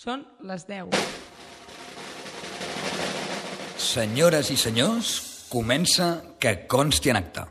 Són les 10. Senyores i senyors, comença Que consti en acta.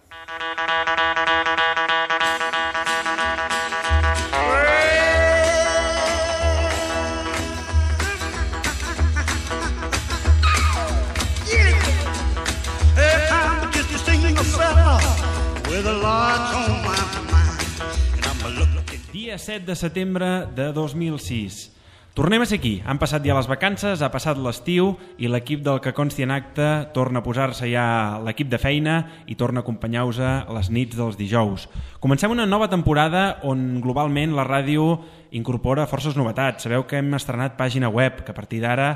Dia 7 de setembre de 2006. Tornem a ser aquí. Han passat ja les vacances, ha passat l'estiu i l'equip del Que consti en acta torna a posar-se ja l'equip de feina i torna a acompanyar-vos a les nits dels dijous. Comencem una nova temporada on globalment la ràdio incorpora forces novetats. Sabeu que hem estrenat pàgina web, que a partir d'ara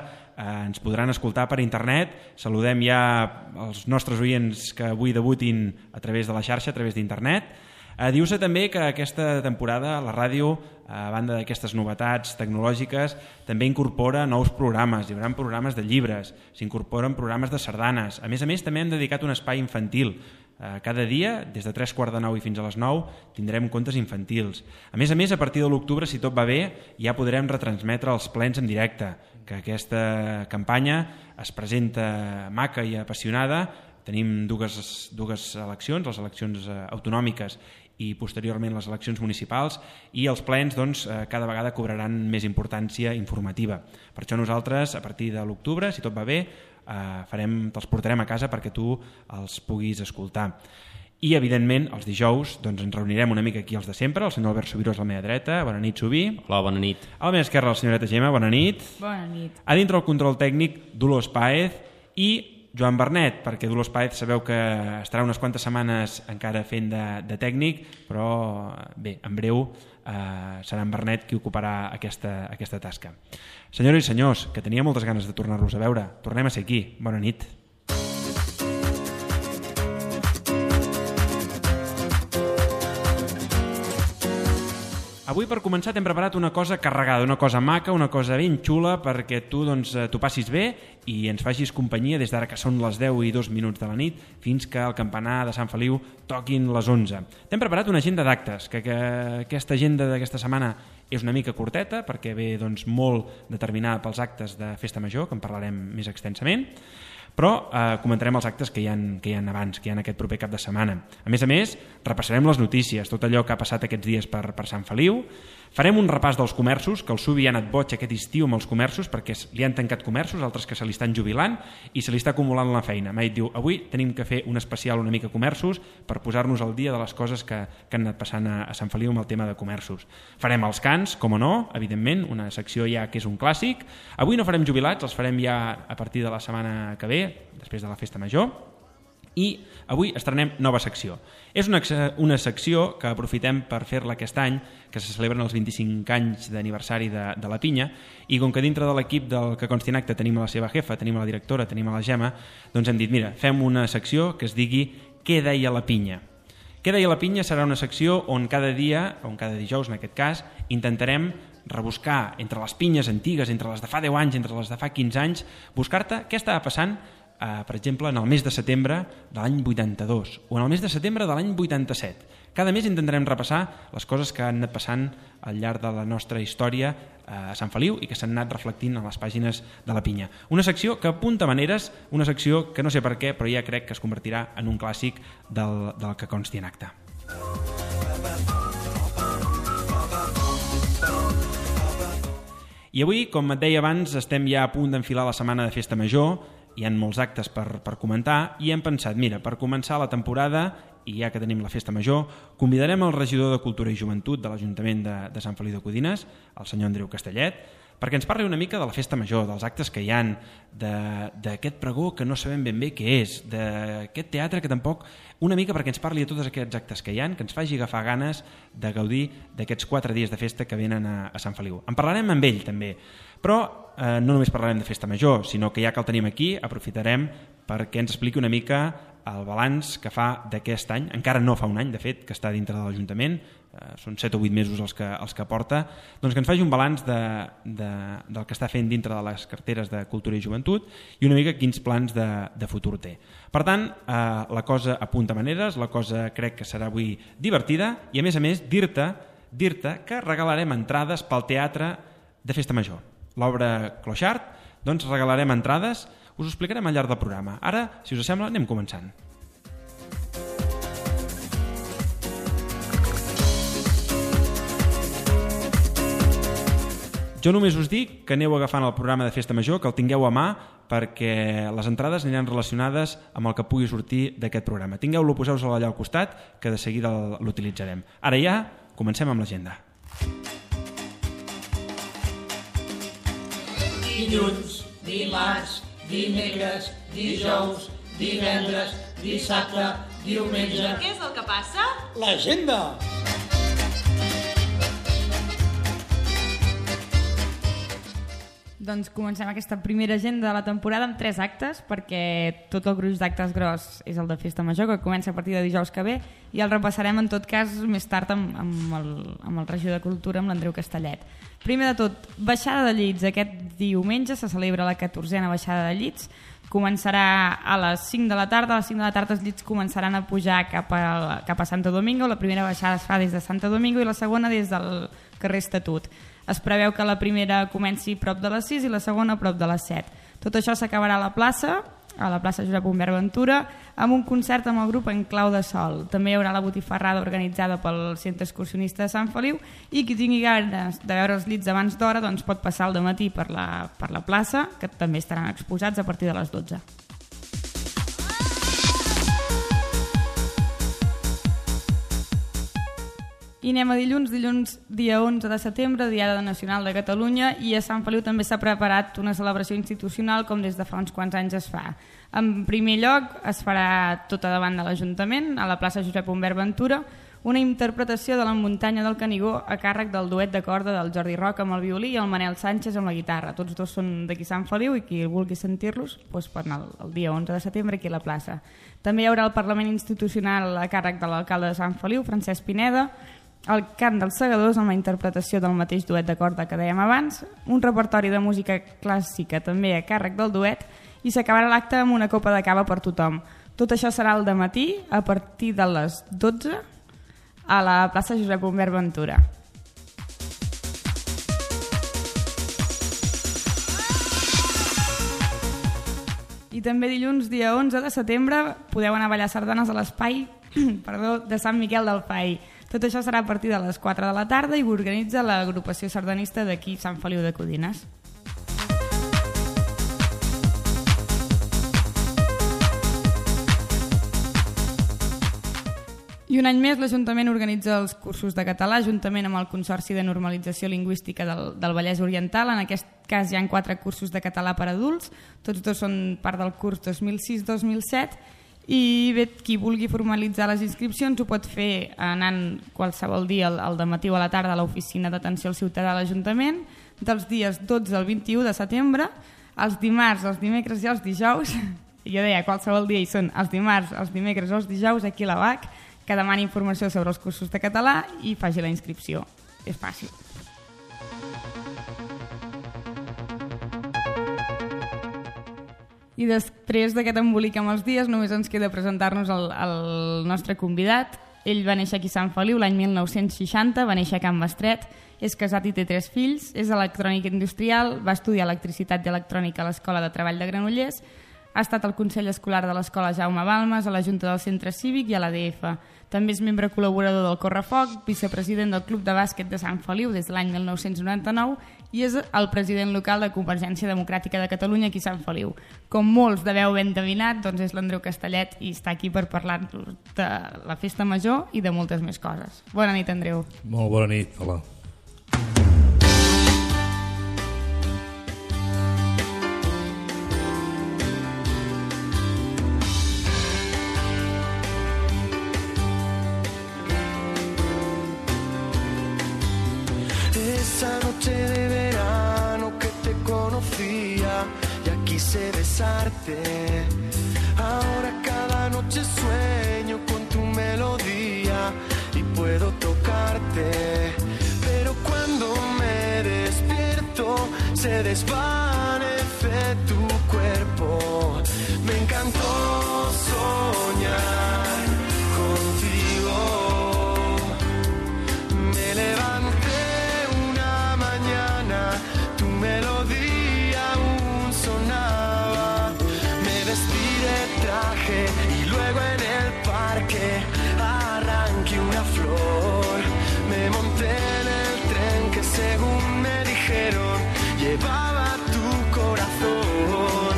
ens podran escoltar per internet. Saludem ja els nostres oients que avui debutin a través de la xarxa, a través d'internet. Diu-se també que aquesta temporada la ràdio, a banda d'aquestes novetats tecnològiques, també incorpora nous programes. Hi haurà programes de llibres, s'incorporen programes de sardanes. A més, també hem dedicat un espai infantil. Cada dia, des de 3:15 i fins a les 9, tindrem contes infantils. A més, a partir de l'octubre, si tot va bé, ja podrem retransmetre els plens en directe, que aquesta campanya es presenta maca i apassionada. Tenim dues eleccions, les eleccions autonòmiques i posteriorment les eleccions municipals, i els plens cada vegada cobraran més importància informativa. Per això nosaltres, a partir de l'octubre, si tot va bé, te'ls portarem a casa perquè tu els puguis escoltar. I, evidentment, els dijous ens reunirem una mica aquí els de sempre. El senyor Albert Subirós a la meva dreta. Bona nit, Subí. Hola, bona nit. A la meva esquerra, la senyoreta Gemma. Bona nit. Bona nit. A dintre el control tècnic, Dolors Páez i Joan Bernet, perquè Dolors Páez sabeu que estarà unes quantes setmanes encara fent de tècnic, però bé, en breu serà en Bernet qui ocuparà aquesta tasca. Senyores i senyors, que tenia moltes ganes de tornar-los a veure, tornem a ser aquí. Bona nit. Avui, per començar, t'hem preparat una cosa carregada, una cosa maca, una cosa ben xula perquè tu t'ho passis bé i ens facis companyia des d'ara que són les 10:02 de la nit fins que el campanar de Sant Feliu toquin les 11. T'hem preparat una agenda d'actes, que aquesta agenda d'aquesta setmana és una mica curteta perquè ve molt determinada pels actes de Festa Major, que en parlarem més extensament, però comentarem els actes que hi ha abans, que hi ha aquest proper cap de setmana. A més, repassarem les notícies, tot allò que ha passat aquests dies per Sant Feliu. Farem un repàs dels comerços, que el Subi ha anat boig aquest estiu amb els comerços perquè li han tancat comerços, altres que se li estan jubilant i se li està acumulant la feina. M'ha dit, diu, avui tenim que fer un especial una mica comerços per posar-nos al dia de les coses que han anat passant a Sant Feliu amb el tema de comerços. Farem els cants, com no, evidentment, una secció ja que és un clàssic. Avui no farem jubilats, els farem ja a partir de la setmana que ve, després de la Festa Major. I avui estrenem nova secció. És una secció que aprofitem per fer-la aquest any, que se celebren els 25 anys d'aniversari de la Pinya, i com que dintre de l'equip del Que consti en acta tenim a la seva jefa, tenim a la directora, tenim a la Gemma, doncs hem dit, mira, fem una secció que es digui Què deia la Pinya? Què deia la Pinya serà una secció on cada dia, on cada dijous en aquest cas, intentarem rebuscar entre les pinyes antigues, entre les de fa 10 anys, entre les de fa 15 anys, buscar-te què estava passant per exemple, en el mes de setembre de l'any 82 o en el mes de setembre de l'any 87. Cada mes intentarem repassar les coses que han anat passant al llarg de la nostra història a Sant Feliu i que s'han anat reflectint a les pàgines de la Pinya. Una secció que apunta maneres, una secció que no sé per què, però ja crec que es convertirà en un clàssic del Que consti en acta. I avui, com et deia abans, estem ja a punt d'enfilar la setmana de Festa Major. Hi ha molts actes per comentar i hem pensat, mira, per començar la temporada, i ja que tenim la Festa Major, convidarem el regidor de Cultura i Joventut de l'Ajuntament de Sant Feliu de Codines, el senyor Andreu Castellet, perquè ens parli una mica de la Festa Major, dels actes que hi ha, d'aquest pregó que no sabem ben bé què és, d'aquest teatre que tampoc, una mica perquè ens parli de tots aquests actes que hi ha, que ens faci agafar ganes de gaudir d'aquests 4 dies de festa que venen a Sant Feliu. En parlarem amb ell també, però no només parlarem de Festa Major, sinó que ja que el tenim aquí, aprofitarem perquè ens expliqui una mica el balanç que fa d'aquest any, encara no fa un any, de fet, que està dintre de l'Ajuntament, són 7 o 8 mesos els que porta, doncs que ens faci un balanç del que està fent dintre de les carteres de Cultura i Joventut i una mica quins plans de futur té. Per tant, la cosa apunta maneres, la cosa crec que serà avui divertida i a més dir-te que regalarem entrades pel teatre de Festa Major. l'obra Clochard, doncs regalarem entrades. Us ho explicarem al llarg del programa. Ara, si us sembla, anem començant. Jo només us dic que aneu agafant el programa de Festa Major, que el tingueu a mà, perquè les entrades aniran relacionades amb el que pugui sortir d'aquest programa. Tingueu-lo, poseu-lo allà al costat, que de seguida l'utilitzarem. Ara ja, comencem amb l'agenda. Dilluns, dimarts, dimecres, dijous, divendres, dissabte, diumenge... Què és el que passa? L'agenda! Doncs comencem aquesta primera agenda de la temporada amb 3 actes, perquè tot el gruix d'actes gros és el de Festa Major, que comença a partir de dijous que ve, i el repassarem en tot cas més tard amb el regidor de Cultura, amb l'Andreu Castellet. Primer de tot, baixada de llits. Aquest diumenge se celebra la 14a baixada de llits. Començarà a les 5 de la tarda. A les 5 de la tarda els llits començaran a pujar cap a Santo Domingo. La primera baixada es fa des de Santo Domingo i la segona des del carrer Estatut. Es preveu que la primera comenci prop de les 6 i la segona prop de les 7. Tot això s'acabarà a la plaça Josep Humbert Ventura, amb un concert amb el grup En Clau de Sol. També hi haurà la botifarrada organitzada pel Centre Excursionista de Sant Feliu, i qui tingui ganes de veure els llits abans d'hora doncs pot passar al dematí per la plaça, que també estaran exposats a partir de les 12. I anem a dilluns, dia 11 de setembre, Diada Nacional de Catalunya, i a Sant Feliu també s'ha preparat una celebració institucional com des de fa uns quants anys es fa. En primer lloc es farà tota davant de l'Ajuntament, a la plaça Josep Humbert Ventura, una interpretació de la Muntanya del Canigó a càrrec del duet de corda del Jordi Roca amb el violí i el Manel Sánchez amb la guitarra. Tots dos són d'aquí Sant Feliu i qui vulgui sentir-los doncs pot anar el dia 11 de setembre aquí a la plaça. També hi haurà el Parlament Institucional a càrrec de l'alcalde de Sant Feliu, Francesc Pineda, el cant dels segadors amb la interpretació del mateix duet de corda que dèiem abans, un repertori de música clàssica també a càrrec del duet, i s'acabarà l'acte amb una copa de cava per tothom. Tot això serà al dematí a partir de les 12 a la plaça Josep Humbert Ventura. I també dilluns, dia 11 de setembre, podeu anar a ballar sardanes a l'espai de Sant Miquel del Fai. Tot això serà a partir de les 4 de la tarda i ho organitza l'agrupació sardanista d'aquí Sant Feliu de Codines. I un any més l'Ajuntament organitza els cursos de català juntament amb el Consorci de Normalització Lingüística del Vallès Oriental. En aquest cas hi ha 4 cursos de català per adults, tots dos són part del curs 2006-2007, i bé, qui vulgui formalitzar les inscripcions ho pot fer anant qualsevol dia al dematí o a la tarda a l'oficina d'atenció al ciutadà de l'Ajuntament, dels dies 12 al 21 de setembre, els dimarts, els dimecres i els dijous. Jo deia qualsevol dia, i són els dimarts, els dimecres o els dijous aquí a la BAC, que demani informació sobre els cursos de català i faci la inscripció. És fàcil. I després d'aquest embolic amb els dies només ens queda presentar-nos el nostre convidat. Ell va néixer aquí a Sant Feliu l'any 1960, va néixer a Can Bestret, és casat i té 3 fills, és electrònic industrial, va estudiar electricitat i electrònica a l'Escola de Treball de Granollers, ha estat al Consell Escolar de l'Escola Jaume Balmes, a la Junta del Centre Cívic i a l'ADF. També és membre col·laborador del Correfoc, vicepresident del Club de Bàsquet de Sant Feliu des de l'any 1999 i és el president local de Convergència Democràtica de Catalunya aquí a Sant Feliu. Com molts deveu ben endevinat, doncs és l'Andreu Castellet i està aquí per parlar-nos de la Festa Major i de moltes més coses. Bona nit, Andreu. Molt bona nit, hola. Esa noche de verano que te conocía y quise besarte. Ahora cada noche sueño con tu melodía y puedo tocarte. Pero cuando me despierto se desvanece tu cuerpo. Me encantó soñar contigo. Me levanté una mañana, tu melodía arranqué una flor, me monté en el tren que según me dijeron llevaba tu corazón,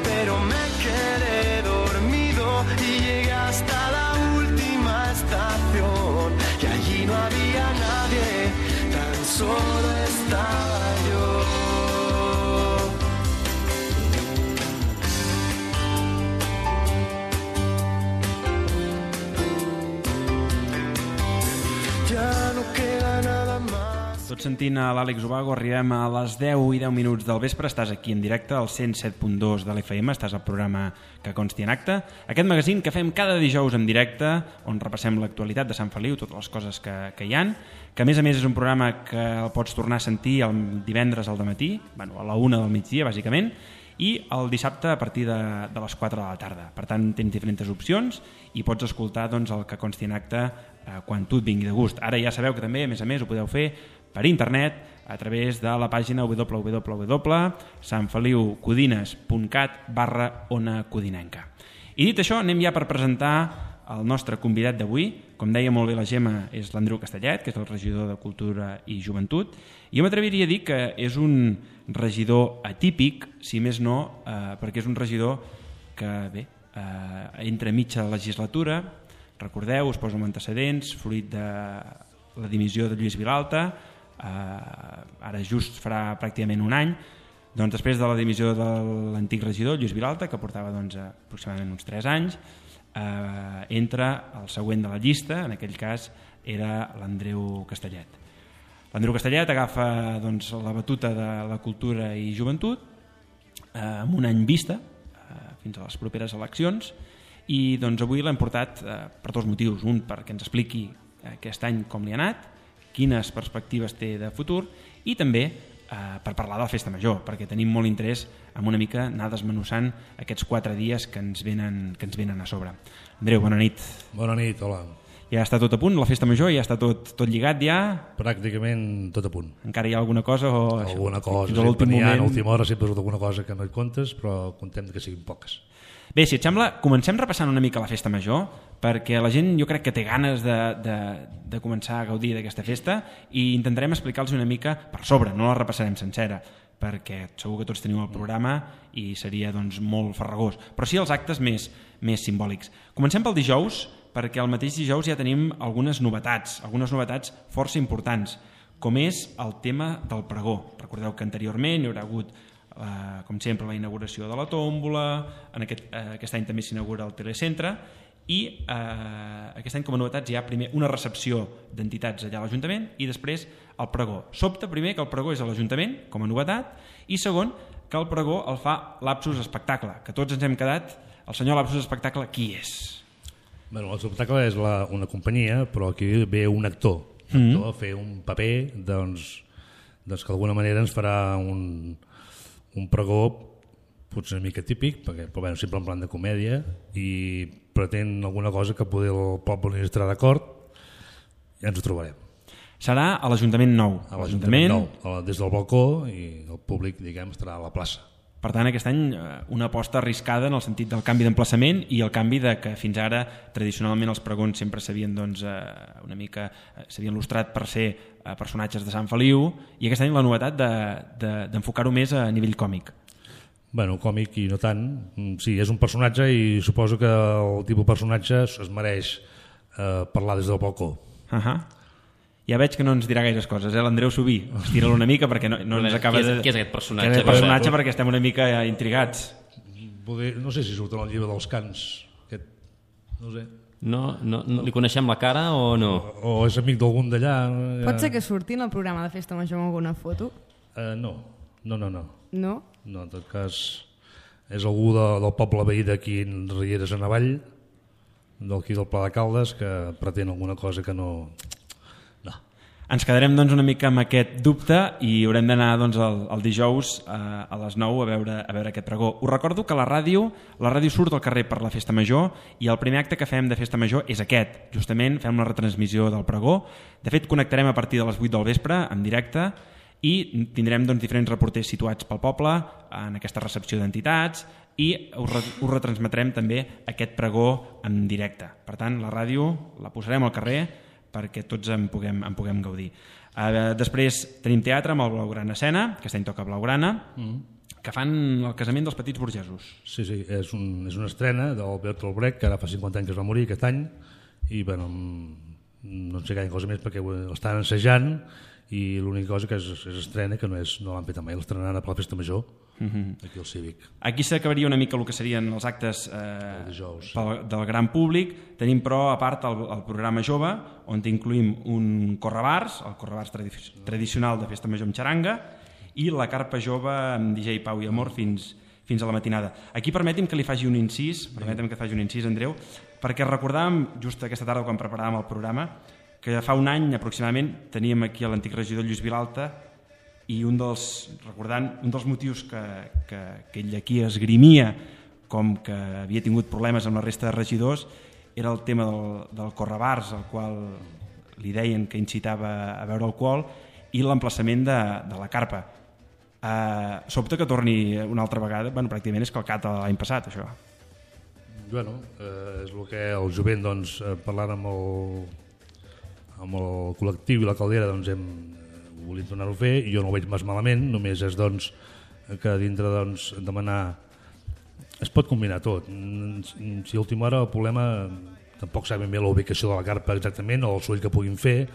pero me quedé dormido y llegué hasta la última estación y allí no había nadie, tan solo estaba yo. Ja no queda nada más. Tot sentint a l'Àlex Ubago, arribem a les 10:10 del vespre. Estàs aquí en directe al 107.2 de l'FM, estàs al programa Que consti en acte. Aquest magazín que fem cada dijous en directe, on repassem l'actualitat de Sant Feliu, totes les coses que hi han, que a més és un programa que el pots tornar a sentir el divendres al dematí, bueno, a la 1 del migdia, bàsicament, i el dissabte a partir de les 4 de la tarda. Per tant, tens diferents opcions i pots escoltar doncs, el Que consti en acte quan tu et vingui de gust. Ara ja sabeu que també, a més, ho podeu fer per internet a través de la pàgina www.sanfeliucodines.cat/Ona Codinenca. I dit això, anem ja per presentar el nostre convidat d'avui. Com deia molt bé la Gemma, és l'Andreu Castellet, que és el regidor de Cultura i Joventut. Jo m'atreviria a dir que és un regidor atípic, si més no, perquè és un regidor que, bé, entra a mitja legislatura. Recordeu, us poso amb antecedents, fruit de la dimissió de Lluís Vilalta, ara just farà pràcticament un any, doncs després de la dimissió de l'antic regidor Lluís Vilalta, que portava aproximadament uns 3 anys, entra el següent de la llista, en aquell cas era l'Andreu Castellet. L'Andreu Castellet agafa la batuta de la Cultura i Joventut amb un any vista, fins a les properes eleccions, i avui l'hem portat per 2 motius. Un, perquè ens expliqui aquest any com li ha anat, quines perspectives té de futur, i també per parlar de la Festa Major, perquè tenim molt interès en una mica anar desmenuçant aquests 4 dies que ens venen a sobre. Andreu, bona nit. Bona nit, hola. Ja està tot a punt, la Festa Major? Ja està tot lligat ja? Pràcticament tot a punt. Encara hi ha alguna cosa? Alguna cosa, sempre n'hi ha, a l'última hora sempre és alguna cosa que no hi comptes, però contem que siguin poques. Bé, si et sembla, comencem repassant una mica la Festa Major, perquè la gent jo crec que té ganes de començar a gaudir d'aquesta festa i intentarem explicar-los una mica per sobre, no la repassarem sencera, perquè segur que tots teniu el programa i seria molt farragós, però sí els actes més simbòlics. Comencem pel dijous, perquè el mateix dijous ja tenim algunes novetats força importants, com és el tema del pregó. Recordeu que anteriorment hi haurà hagut com sempre la inauguració de la tòmbola, aquest any també s'inaugura el telecentre i aquest any com a novetats hi ha primer una recepció d'entitats allà a l'Ajuntament i després el pregó. Sobta primer que el pregó és a l'Ajuntament com a novetat i segon que el pregó el fa Lapsus Espectacle, que tots ens hem quedat, el senyor Lapsus Espectacle qui és? Bueno, l'espectacle és una companyia, però aquí ve un actor a fer un paper doncs que d'alguna manera ens farà un pregó potser una mica típic, però sempre en plan de comèdia i pretén alguna cosa que poder el poble estarà d'acord, ja ens ho trobarem. Serà a l'Ajuntament Nou. A l'Ajuntament Nou, des del balcó i el públic, diguem, estarà a la plaça. Per tant, aquest any una aposta arriscada en el sentit del canvi d'emplaçament i el canvi de que fins ara tradicionalment els pregons sempre s'havien una mica s'havien lustrat per ser personatges de Sant Feliu i aquest any la novetat d'enfocar-ho més a nivell còmic. Bueno, còmic i no tant. Sí, és un personatge i suposo que el tipus de personatge es mereix parlar des del balcó. Ja veig que no ens dirà gaires coses, l'Andreu Subí. Estira-lo una mica perquè no ens acaba de... Què és aquest personatge? Què és aquest personatge perquè estem una mica intrigats. No sé si surt en el llibre dels cants. No sé. No li coneixem la cara o no? O és amic d'algun d'allà. Pot ser que surti en el programa de Festa Major amb alguna foto? No. No? No, en tot cas és algú del poble veí d'aquí en Rieres en Avall, d'aquí del Pla de Caldes, que pretén alguna cosa que no... Ens quedarem una mica amb aquest dubte i haurem d'anar el dijous a les 9 a veure aquest pregó. Us recordo que la ràdio surt al carrer per la Festa Major i el primer acte que fem de Festa Major és aquest. Justament fem la retransmissió del pregó. De fet, connectarem a partir de les 8 del vespre en directe i tindrem doncs, diferents reporters situats pel poble en aquesta recepció d'entitats i us retransmetrem també aquest pregó en directe. Per tant, la ràdio la posarem al carrer perquè tots en puguem gaudir. Després tenim teatre amb el Blaugrana Escena, aquest any toca Blaugrana, que fan el casament dels petits burgesos. Sí, és una estrena del Bertolt Brecht, que ara fa 50 anys que es va morir aquest any, i bueno, no en sé gaire cosa més perquè l'estan ensajant, i l'única cosa que és estrena, que no l'han fet mai, l'estrenaran per la Festa Major, aquí al Cívic. Aquí s'acabaria una mica el que serien els actes del gran públic. Tenim però a part el programa jove, on incluïm un correbars, el correbars tradicional de Festa Major amb xaranga, i la carpa jove amb DJ Pau i Amor fins a la matinada. Aquí permeti'm que li faci un incís, Andreu, perquè recordàvem just aquesta tarda quan preparàvem el programa que fa un any aproximadament teníem aquí l'antic regidor Lluís Vilalta i un dels motius que ell aquí esgrimia com que havia tingut problemes amb la resta de regidors era el tema del correbars, al qual li deien que incitava a beure alcohol, i l'emplaçament de la carpa. Sobte que torni una altra vegada, pràcticament és calcat l'any passat, això. Bueno, és el que el jovent, doncs, parlant amb el col·lectiu i la caldera, doncs hem volit tornar-ho a fer, i jo no ho veig més malament, només és doncs, que dintre demanar es pot combinar tot. Si a última hora el problema tampoc sabem bé la ubicació de la carpa exactament o el soroll que puguin fer,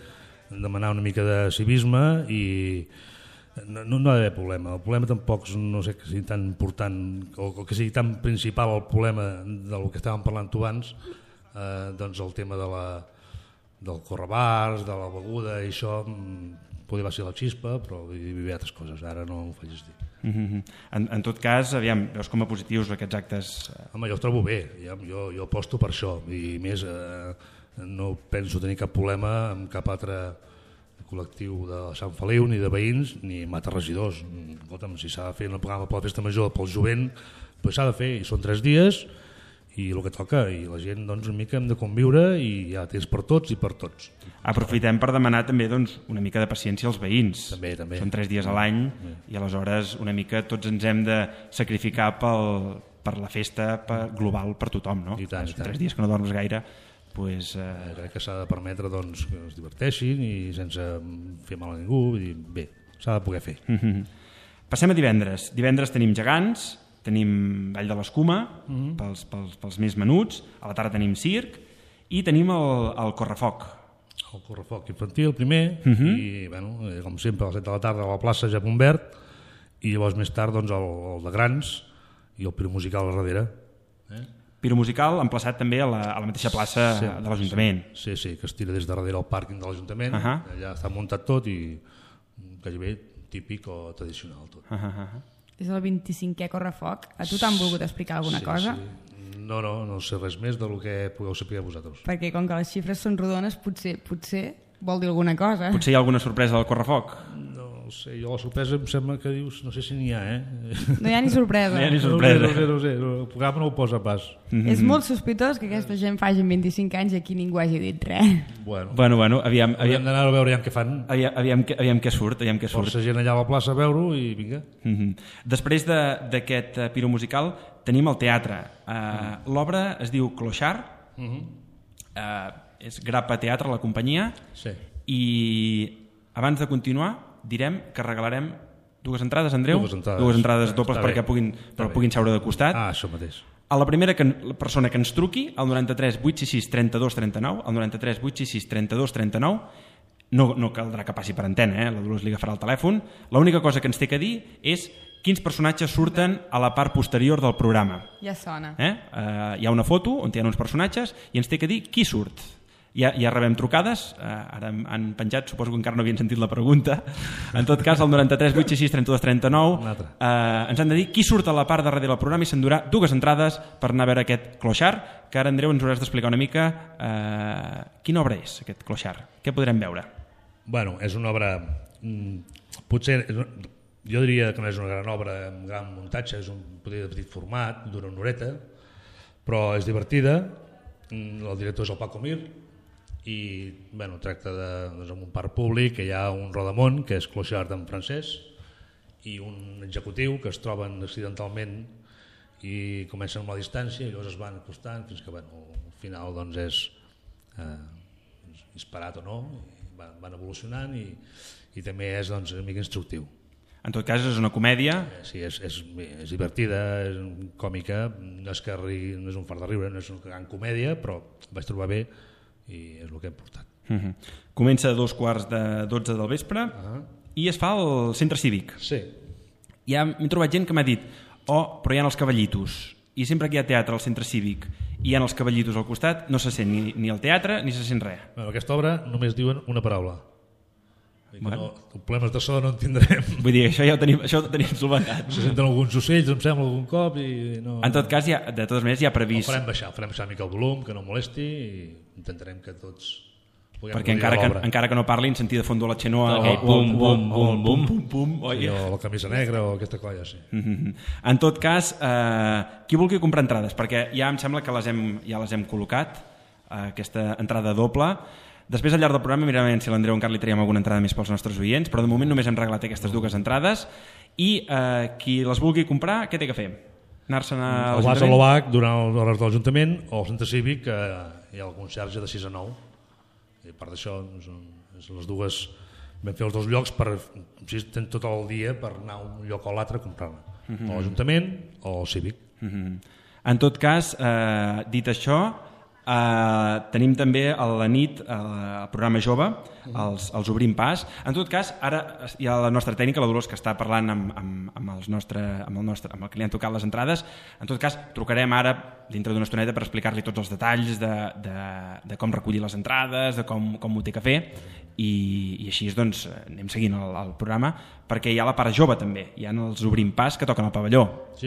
demanar una mica de civisme i no ha d'haver problema. El problema tampoc no sé que sigui tan important o que sigui tan principal el problema del que estàvem parlant tu abans, doncs el tema del correbars, de la beguda i això podria ser la xispa, però hi havia altres coses, ara no ho facis dir. En tot cas, aviam, veus com a positius aquests actes? Home, jo ho trobo bé, jo aposto per això, i més no penso tenir cap problema amb cap altre col·lectiu de Sant Feliu, ni de veïns, ni amb altres regidors. Escolta'm, si s'ha de fer un programa per la Festa Major pel jovent, doncs s'ha de fer, i són 3 dies, i el que toca, i la gent doncs, una mica hem de conviure i ja tens per tots i per tots. Aprofitem per demanar també doncs, una mica de paciència als veïns. També. Són 3 dies a l'any i aleshores una mica tots ens hem de sacrificar per la festa global per tothom, no? I tant. 3 dies que no dorms gaire, doncs... Crec que s'ha de permetre doncs, que es diverteixin i sense fer mal a ningú, i bé, s'ha de poder fer. Passem a divendres. Divendres tenim gegants, tenim Ball de l'Escuma pels més menuts, a la tarda tenim circ i tenim el correfoc. El correfoc infantil primer i bueno, com sempre a les 7 de la tarda a la plaça Japon Verd i llavors més tard doncs, el de grans i el piromusical a darrere. Piromusical emplaçat també a la mateixa plaça de l'Ajuntament. Sí, que es tira des de darrere al pàrquing de l'Ajuntament, allà està muntat tot i gairebé típic o tradicional tot. És el 25è correfoc. A tu t'han volgut explicar alguna cosa? Sí. No sé res més del que pugueu saber vosaltres. Perquè com que les xifres són rodones, potser vol dir alguna cosa. Potser hi ha alguna sorpresa del correfoc? No sé, jo la sorpresa em sembla que dius, no sé si n'hi ha, No hi ha ni sorpresa. No sé, el programa no ho posa pas. És molt sospitós que aquesta gent faci 25 anys i aquí ningú hagi dit res. Bueno, aviam d'anar a veure què fan. Aviam què surt. Força gent allà a la plaça a veure-ho i vinga. Després d'aquest piromusical tenim el teatre. L'obra es diu Clochard, és Grappa Teatre, la companyia, i abans de continuar direm que regalarem 2 entrades, Andreu? 2 entrades dobles perquè puguin seure de costat. Això mateix. A la primera persona que ens truqui, al 93 866 32 39, al 93 866 32 39, no caldrà que passi per antena, la Dolors li agafarà el telèfon. L'única cosa que ens té que dir és quins personatges surten a la part posterior del programa. Ja sona. Hi ha una foto on hi ha uns personatges i ens té que dir qui surt. Ja rebem trucades, ara han penjat, suposo que encara no havien sentit la pregunta. En tot cas, al 93 866 32 39 ens han de dir qui surt a la part darrere del programa i s'endurà 2 entrades per anar a veure aquest Clochard, que ara, Andreu, ens hauràs d'explicar una mica quina obra és aquest Clochard, què podrem veure? Bueno, és una obra potser jo diria que no és una gran obra amb gran muntatge, és un petit format, dura una horeta, però és divertida. El director és el Paco Mir i bueno, tracta doncs, en un parc públic que hi ha un rodamont que és clochard en francès i un executiu que es troben accidentalment i comencen amb la distància i llavors es van acostant fins que bueno, al final doncs, és disparat o no, van evolucionant i també és doncs, una mica instructiu. En tot cas és una comèdia. Sí, és divertida, és còmica, no és un fart de riure, no és una gran comèdia, però vaig trobar bé i és el que hem portat. Comença a 2:15 del vespre i es fa al centre cívic. Sí. Ja m'he trobat gent que m'ha dit però hi ha els cavallitos i sempre que hi ha teatre al centre cívic i hi ha els cavallitos al costat no se sent ni el teatre ni se sent res. Bueno, aquesta obra només diuen una paraula. Bueno. Problemes de so no en tindrem. Vull dir, això ho tenim solventat. Se senten alguns ocells, em sembla, algun cop i no... En tot cas, de totes maneres, hi ha previst... Farem baixar una mica el volum, que no molesti i intentarem que tots puguem perquè l'obra. encara que no parlin, sentir de fondo la xenoa Bum, bum, bum, bum, bum, o la camisa negra o aquesta colla, sí. En tot cas, qui vulgui comprar entrades, perquè ja em sembla que ja les hem col·locat, aquesta entrada doble. Després, al llarg del programa, mirarem si l'Andreu encara li traiem alguna entrada més pels nostres oients, però de moment només hem reglat aquestes dues entrades i qui les vulgui comprar, què té que fer? Anar-se'n a l'Ajuntament? Vas a l'OAC durant les hores de l'Ajuntament o al centre cívic, que hi ha el conserge de 6 a 9. I a part d'això, les dues vam fer els dos llocs per tens tot el dia per anar a un lloc o l'altre a comprar-la. O a l'Ajuntament o al cívic. En tot cas, dit això, tenim també a la nit el programa jove, els Obrim Pas. En tot cas, ara hi ha la nostra tècnica, la Dolors, que està parlant amb el que li han tocat les entrades. En tot cas, trucarem ara dintre d'una estoneta per explicar-li tots els detalls de com recollir les entrades, de com ho té que fer, i així doncs anem seguint el programa, perquè hi ha la part jove també, hi ha els Obrim Pas que toquen al pavelló. Sí,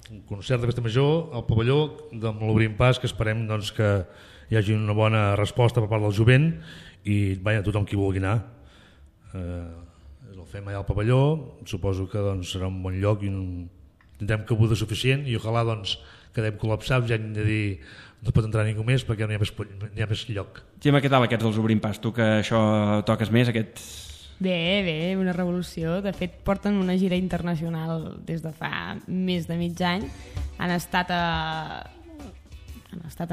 un concert de festa major al pavelló amb l'Obrim Pas, que esperem doncs, que hi hagi una bona resposta per part del jovent i tothom qui vulgui anar. El fem allà al pavelló, suposo que doncs, serà un bon lloc i tindrem cabuda suficient i ojalà doncs, quedem col·lapsats i hem de dir no pot entrar ningú més perquè no hi ha més lloc. Gemma, què tal aquests dels Obrim Pas? Tu que això toques més, aquests... Bé, una revolució. De fet, porten una gira internacional des de fa més de mig any. Han estat a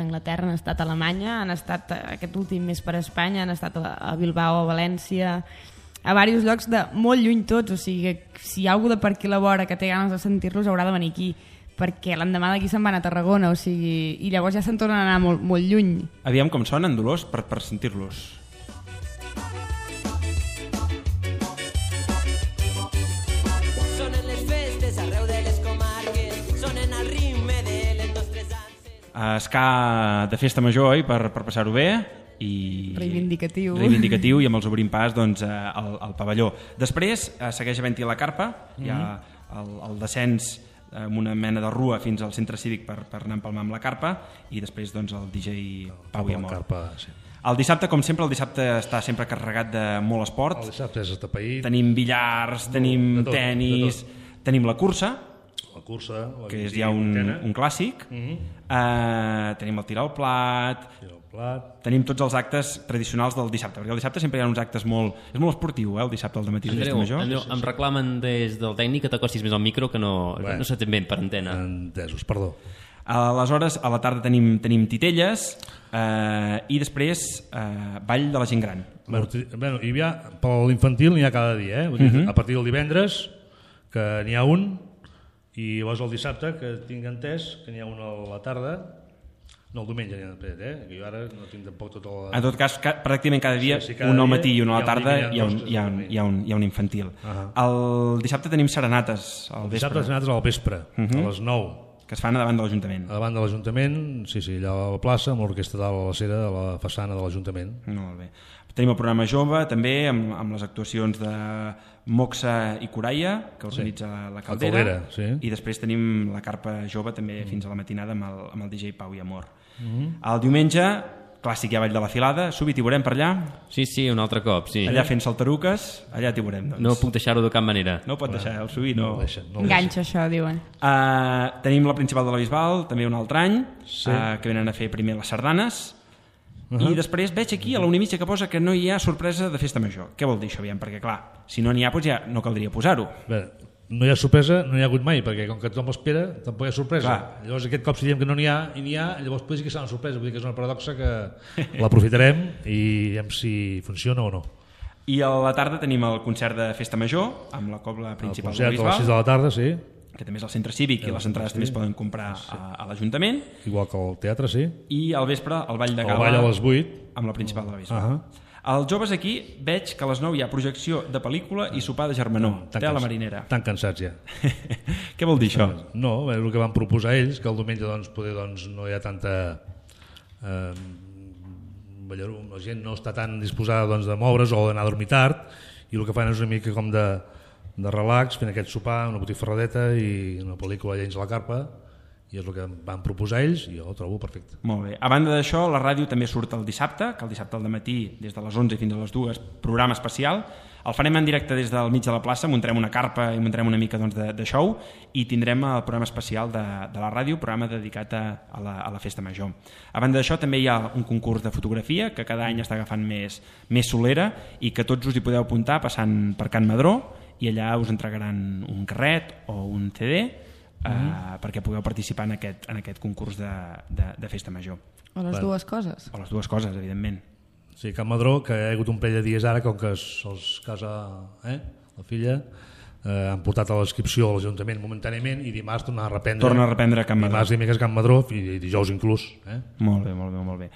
Anglaterra, han estat a Alemanya, han estat aquest últim mes per Espanya, han estat a Bilbao, a València, a diversos llocs de molt lluny tots. O sigui, si hi ha algú de per aquí a la vora que té ganes de sentir-los haurà de venir aquí, perquè l'endemà d'aquí se'n van a Tarragona, o sigui, i llavors ja se'n tornen a anar molt, molt lluny. Aviam com sonen, Dolors, per sentir-los. Ska de festa major, oi? Per passar-ho bé i reivindicatiu i amb els Obrim Pas doncs, al pavelló. Després segueix havent-hi la carpa, hi ha el descens amb una mena de rua fins al centre cívic per anar a empalmar amb la carpa i després doncs, el DJ Pau i Amor. El dissabte, com sempre, està sempre carregat de molt esport. El dissabte és atapeït. Tenim billars, tenim tenis, tenim la cursa, que és ja un clàssic. Tenim el tir al plat, tenim tots els actes tradicionals del dissabte, perquè el dissabte sempre hi ha uns actes molt... És molt esportiu, el dissabte al dematí de festa major. Andreu, em reclamen des del tècnic que t'acostis més al micro, que no s'entén bé per antena. Entesos, perdó. Aleshores, a la tarda tenim titelles i després ball de la gent gran. Per l'infantil n'hi ha cada dia, a partir del divendres, que n'hi ha un, i llavors el dissabte, que tinc entès que n'hi ha un a la tarda, no el diumenge n'hi ha després, que jo ara no tinc tampoc tota la... En tot cas, pràcticament cada dia, un al matí i un a la tarda, hi ha un infantil. El dissabte tenim serenates al vespre. Dissabte serenates al vespre, a les 9. Que es fan a davant de l'Ajuntament. A davant de l'Ajuntament, sí, allà a la plaça, amb l'orquestra de la cera de la façana de l'Ajuntament. Molt bé. Tenim el programa jove, també, amb les actuacions de Moxa i Coraia, que organitza la Caldera, i després tenim la carpa jove també fins a la matinada amb el DJ Pau i Amor. El diumenge, clàssic, hi ha Ball de la Filada. Subi, t'hi veurem per allà? Sí, un altre cop, sí. Allà fent saltaruques, allà t'hi veurem, doncs. No puc deixar-ho de cap manera. No ho pot deixar, el Subi no... Enganxa, això, diuen. Tenim la Principal de la Bisbal, també un altre any, que venen a fer primer les sardanes, I després veig aquí a la 1:30 que posa que no hi ha sorpresa de festa major. Què vol dir això? Aviam, perquè clar, si no n'hi ha, doncs ja no caldria posar-ho. Bé, no hi ha sorpresa, no hi ha hagut mai, perquè com que tothom l'espera, tampoc hi ha sorpresa. Clar. Llavors aquest cop si diem que no n'hi ha i n'hi ha, llavors potser sí que serà una sorpresa, vull dir que és una paradoxa que l'aprofitarem i veiem si funciona o no. I a la tarda tenim el concert de festa major amb la cobla El principal concert del a les 6 Bisbal, de la tarda, sí, que també és al centre cívic i les entrades també es poden comprar a l'Ajuntament, igual que el teatre, sí. i al vespre el ball de El gala ball a les 8. amb la principal de la Bisbal. Uh-huh. Els joves aquí veig que a les 9 hi ha projecció de pel·lícula i sopar de germanor, té a la marinera. Tan cansats ja. Què vol dir això? No, és el que van proposar ells, que el diumenge doncs, poder, doncs, no hi ha tanta... la gent no està tan disposada doncs, de moure's o d'anar a dormir tard, i el que fan és una mica com de relax, fent aquest sopar, una botifarradeta i una pel·lícula Llens a la carpa, i és el que van proposar ells i jo ho trobo perfecte. Molt bé. A banda d'això, la ràdio també surt el dissabte, que el dissabte al matí, des de les 11 fins a les 2, programa especial. El farem en directe des del mig de la plaça, muntarem una carpa i muntarem una mica doncs, de show, i tindrem el programa especial de la ràdio, programa dedicat a la festa major. A banda d'això, també hi ha un concurs de fotografia, que cada any està agafant més solera, i que tots us hi podeu apuntar passant per Can Madró, i allà us entregaran un carret o un CD, perquè pugueu participar en aquest concurs de festa major. O les dues coses. O les dues coses, evidentment. Sí, Can Madró, que hi ha hagut un parell de dies ara, com que se'ls casa la filla, han portat a l'inscripció a l'Ajuntament momentàniament i dimarts torna a reprendre. Torna a reprendre Can Madró. Dimarts, dimecres Can Madró i dijous inclús. Molt bé, molt bé, molt bé.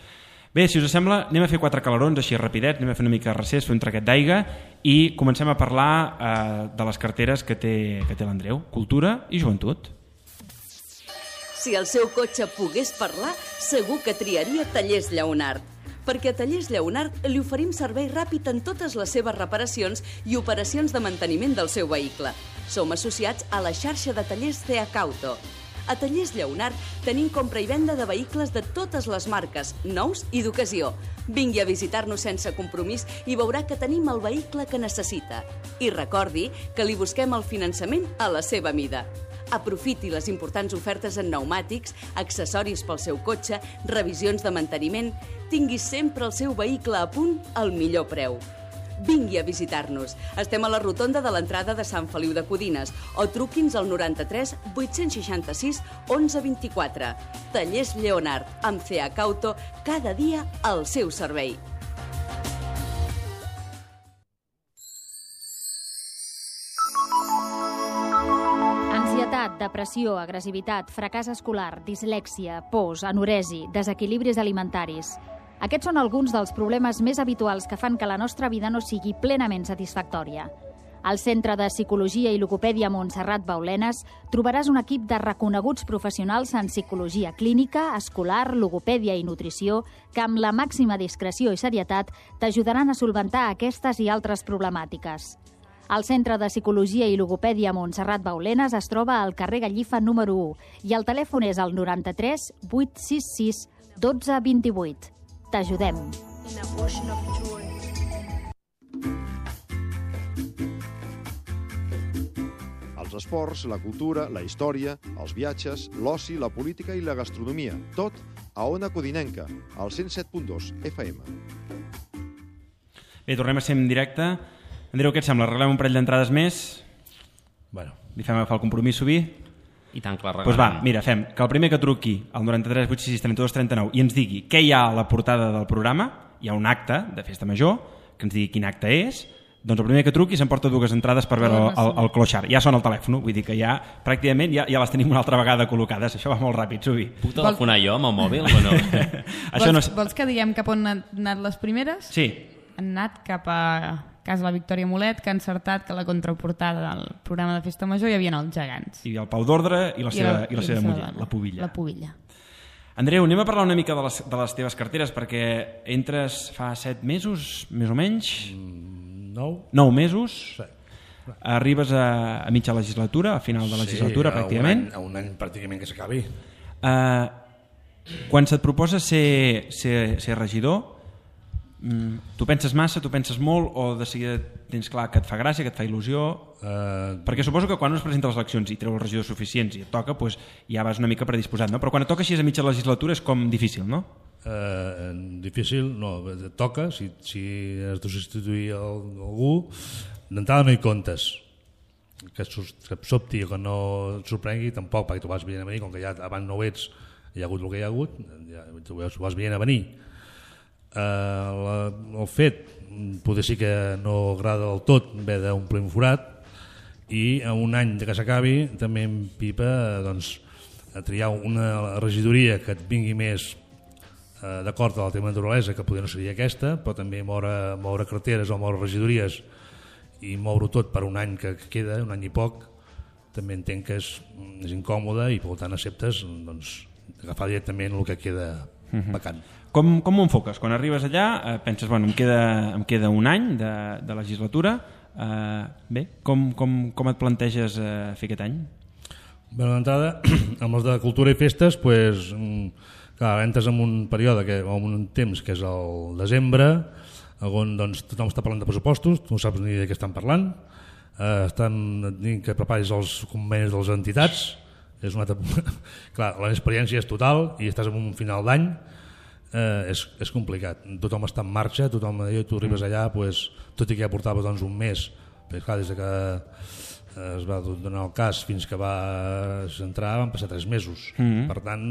Bé, si us sembla, anem a fer 4 calarons així rapidets, anem a fer una mica de recés, fer un traquet d'aigua i comencem a parlar de les carteres que té l'Andreu. Cultura i joventut. Si el seu cotxe pogués parlar, segur que triaria Tallers Lleonart. Perquè a Tallers Lleonart li oferim servei ràpid en totes les seves reparacions i operacions de manteniment del seu vehicle. Som associats a la xarxa de tallers CH Auto. A Tallers Lleonart tenim compra i venda de vehicles de totes les marques, nous i d'ocasió. Vingui a visitar-nos sense compromís i veurà que tenim el vehicle que necessita. I recordi que li busquem el finançament a la seva mida. Aprofiti les importants ofertes en pneumàtics, accessoris pel seu cotxe, revisions de manteniment. Tingui sempre el seu vehicle a punt al millor preu. Vingui a visitar-nos. Estem a la rotonda de l'entrada de Sant Feliu de Codines o truqui'ns al 93 866 11 24. Tallers Lleonart, amb CH Auto, cada dia al seu servei. Ansietat, depressió, agressivitat, fracàs escolar, dislèxia, pors, anoresi, desequilibris alimentaris. Aquests són alguns dels problemes més habituals que fan que la nostra vida no sigui plenament satisfactòria. Al Centre de Psicologia i Logopèdia Montserrat Baulenes trobaràs un equip de reconeguts professionals en psicologia clínica, escolar, logopèdia i nutrició que amb la màxima discreció i serietat t'ajudaran a solventar aquestes i altres problemàtiques. El Centre de Psicologia i Logopèdia Montserrat Baulenes es troba al carrer Gallifa número 1 i el telèfon és el 93 866 12 28. T'ajudem. Els esports, la cultura, la història, els viatges, l'oci, la política i la gastronomia. Tot a Ona Codinenca, al 107.2 FM. Bé, tornem a ser en directe. Andreu, què et sembla? Arreglem un parell d'entrades més? Bueno. Li fem agafar el compromís, Subí? I tant que la regalem. Doncs va, mira, fem que el primer que truqui al 93 866 32 39 i ens digui què hi ha a la portada del programa, hi ha un acte de festa major, que ens digui quin acte és, doncs el primer que truqui s'emporta 2 entrades per veure el clochard. Ja sona el telèfon, vull dir que ja pràcticament ja les tenim una altra vegada col·locades. Això va molt ràpid, Subí. Puc telefonar jo amb el mòbil o no? Vols que diguem cap on han anat les primeres? Sí. Han anat cap a Casa la Victòria Molet, que ha encertat que la contraportada del programa de Festa Major hi havia els gegants. I el Pau d'Ordre i la seva muller, la Pubilla. La Pubilla. Andreu, anem a parlar una mica de les teves carteres, perquè entres fa 7 mesos, més o menys? 9 mesos. Sí. Arribes a mitja legislatura, a final de legislatura, pràcticament. A un any pràcticament que s'acabi. Quan se't proposa ser regidor, tu penses massa, tu penses molt, o de seguida tens clar que et fa gràcia, que et fa il·lusió? Perquè suposo que quan es presenta a les eleccions i treu els regidors suficients i et toca, doncs ja vas una mica predisposat, no? Però quan et toca així a mitja legislatura és com difícil, no? Difícil, no, toca, si has de substituir algú, d'entrada no hi comptes, que et sobti o que no et sorprengui tampoc, perquè tu vas veient a venir, com que ja abans no ho ets, hi ha hagut el que hi ha hagut, ja tu vas veient a venir. El fet potser sí que no agrada del tot haver d'omplir un forat, i a un any que s'acabi també em pipa a triar una regidoria que et vingui més d'acord amb el tema de naturalesa, que potser no seria aquesta, però també moure carreteres o moure regidories i moure-ho tot per un any que queda, un any i poc, també entenc que és incòmode i per tant acceptes agafar directament el que queda vacant. Com ho enfoques? Quan arribes allà penses, bueno, em queda un any de legislatura, bé, com et planteges fer aquest any? Bé, d'entrada, amb els de cultura i festes, doncs, clar, entres en un període, en un temps que és el desembre, on tothom està parlant de pressupostos, tu no saps ni de què estan parlant, estan dient que preparis els convenis de les entitats, és una altra... clar, l'experiència és total i estàs en un final d'any, és complicat, tothom està en marxa, tu arribes allà, tot i que ja portava un mes, perquè clar, des que es va donar el cas fins que vas entrar van passar 3 mesos, per tant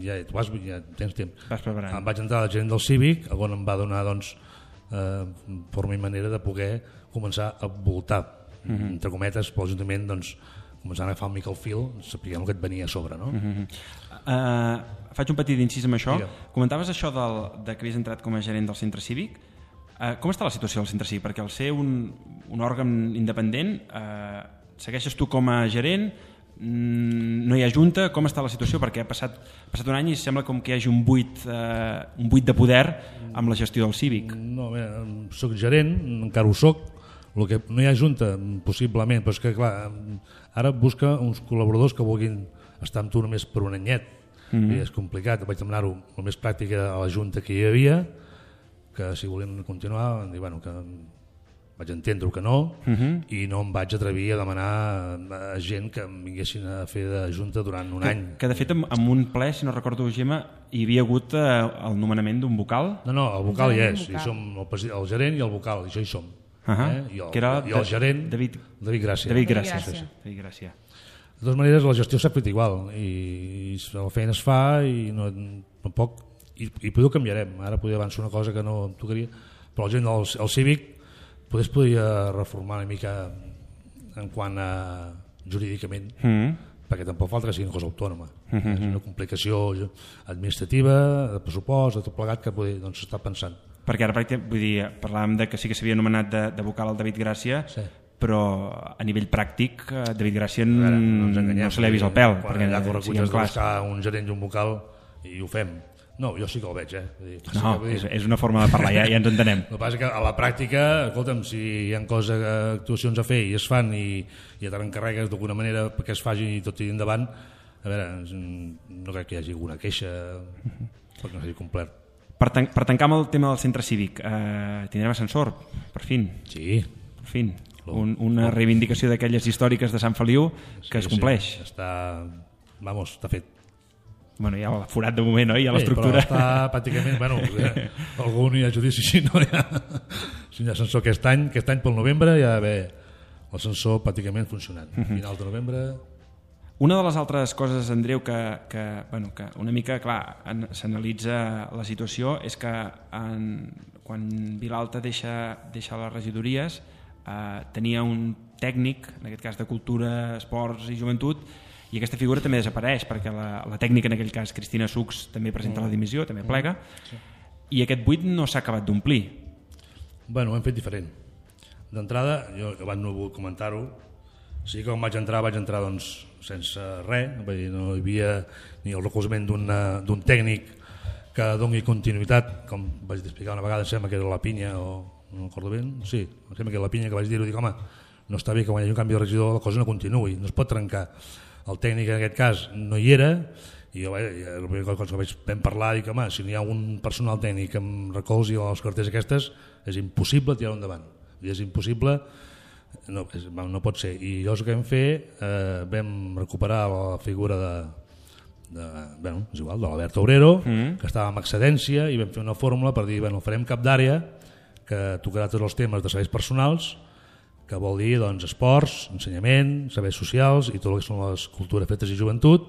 ja tens temps. Em vaig entrar al gerent del Cívic, on em va donar forma i manera de poder començar a voltar, entre cometes, per l'Ajuntament, començant a agafar una mica el fil, sapiguem el que et venia a sobre, no? Faig un petit incís amb això. Comentaves això de que havies entrat com a gerent del centre cívic. Com està la situació del centre cívic? Perquè al ser un òrgan independent, segueixes tu com a gerent, no hi ha junta, com està la situació? Perquè ha passat un any i sembla com que hi hagi un buit de poder amb la gestió del cívic. No, bé, soc gerent, encara ho soc, el que no hi ha junta, possiblement, però és que clar, ara busca uns col·laboradors que vulguin estar amb tu només per un anyet, i és complicat, vaig demanar-ho el més pràctic a la junta que hi havia, que si volien continuar van dir, bueno, que vaig entendre que no, i no em vaig atrevir a demanar a gent que em vinguessin a fer de junta durant un any. Que de fet en un ple, si no recordo, Gemma, hi havia hagut el nomenament d'un vocal? No, el vocal hi és, i som el gerent i el vocal, i això hi som. I el gerent David Gràcia. David Gràcia. De totes maneres, la gestió s'ha fet igual, i la feina es fa, i no poc, i potser ho canviarem. Ara podria avançar una cosa que no tocaria, però la gent del Cívic es podria reformar una mica en quant a jurídicament, perquè tampoc falta que sigui una cosa autònoma. És una complicació administrativa, de pressupost, de tot plegat, que s'està pensant. Perquè ara parlàvem de que sí que s'havia anomenat de vocal el David Gràcia, però a nivell pràctic David Gràcia no se li ha vist el pèl. Quan allà correculles de buscar un gerent i un vocal i ho fem. No, jo sí que el veig. No, és una forma de parlar, ja ens entenem. El que passa és que a la pràctica, escolta'm, si hi ha actuacions a fer i es fan i ja te n'encarregues d'alguna manera perquè es faci i tot tiri endavant, a veure, no crec que hi hagi alguna queixa perquè no s'hagi complert. Per tancar amb el tema del centre cívic, tindrem ascensor, per fin. Sí. Per fin. Una reivindicació d'aquelles històriques de Sant Feliu que es compleix. Sí, està fet. Bueno, hi ha el forat de moment, oi? Hi ha l'estructura. Però està pràcticament, algú no hi ha judici si no hi ha ascensor aquest any pel novembre hi ha d'haver l'ascensor pràcticament funcionant. Finals de novembre... Una de les altres coses, Andreu, que una mica, clar, s'analitza la situació és que quan Vilalta deixa les regidories tenia un tècnic, en aquest cas de cultura, esports i joventut, i aquesta figura també desapareix perquè la tècnica, en aquell cas Cristina Sucs, també presenta la dimissió, també plega, i aquest buit no s'ha acabat d'omplir. Bueno, ho hem fet diferent. D'entrada, jo abans no he volgut comentar-ho, sí que quan vaig entrar sense res, no hi havia ni el recolzament d'un tècnic que doni continuïtat, com vaig explicar una vegada, em sembla que era la Pinya, o no recordo bé, sí, em sembla que era la Pinya que vaig dir-ho, dic, home, no està bé que quan hi hagi un canvi de regidor la cosa no continuï, no es pot trencar. El tècnic en aquest cas no hi era, i jo la primera cosa que vam parlar, dic, home, si no hi ha un personal tècnic amb recolzi o les cartes aquestes, és impossible tirar-ho endavant. És impossible, no pot ser. I llavors el que vam fer, vam recuperar la figura és igual, de l'Albert Obrero, que estava en excedència, i vam fer una fórmula per dir, farem cap d'àrea que tocarà tots els temes de serveis personals, que vol dir esports, ensenyament, serveis socials i tot el que són les cultures, festes i joventut,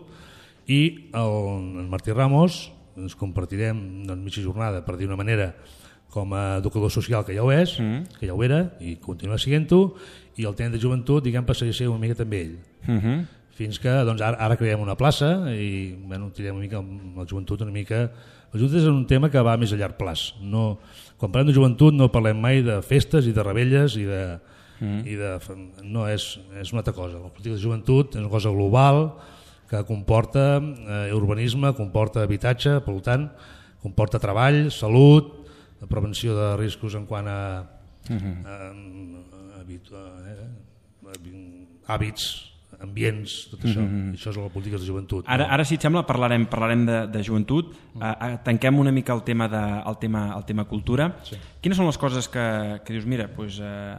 i en Martí Ramos ens compartirem mitja jornada, per dir una manera, com a educador social, que ja ho és, que ja ho era, i continua sent-ho, i el tenent de joventut, passaria a ser una mica també ell. Fins que ara creem una plaça i tirem una mica amb la joventut una mica. La joventut és un tema que va més a llarg plaç. Quan parlem de joventut no parlem mai de festes i de revetlles no, és una altra cosa. La política de joventut és una cosa global que comporta urbanisme, comporta habitatge, per tant comporta treball, salut, prevenció de riscos en quant a hàbits, ambients, tot això. Això és la política de joventut. Ara, si et sembla, parlarem de joventut. Tanquem una mica el tema cultura. Quines són les coses que dius, mira,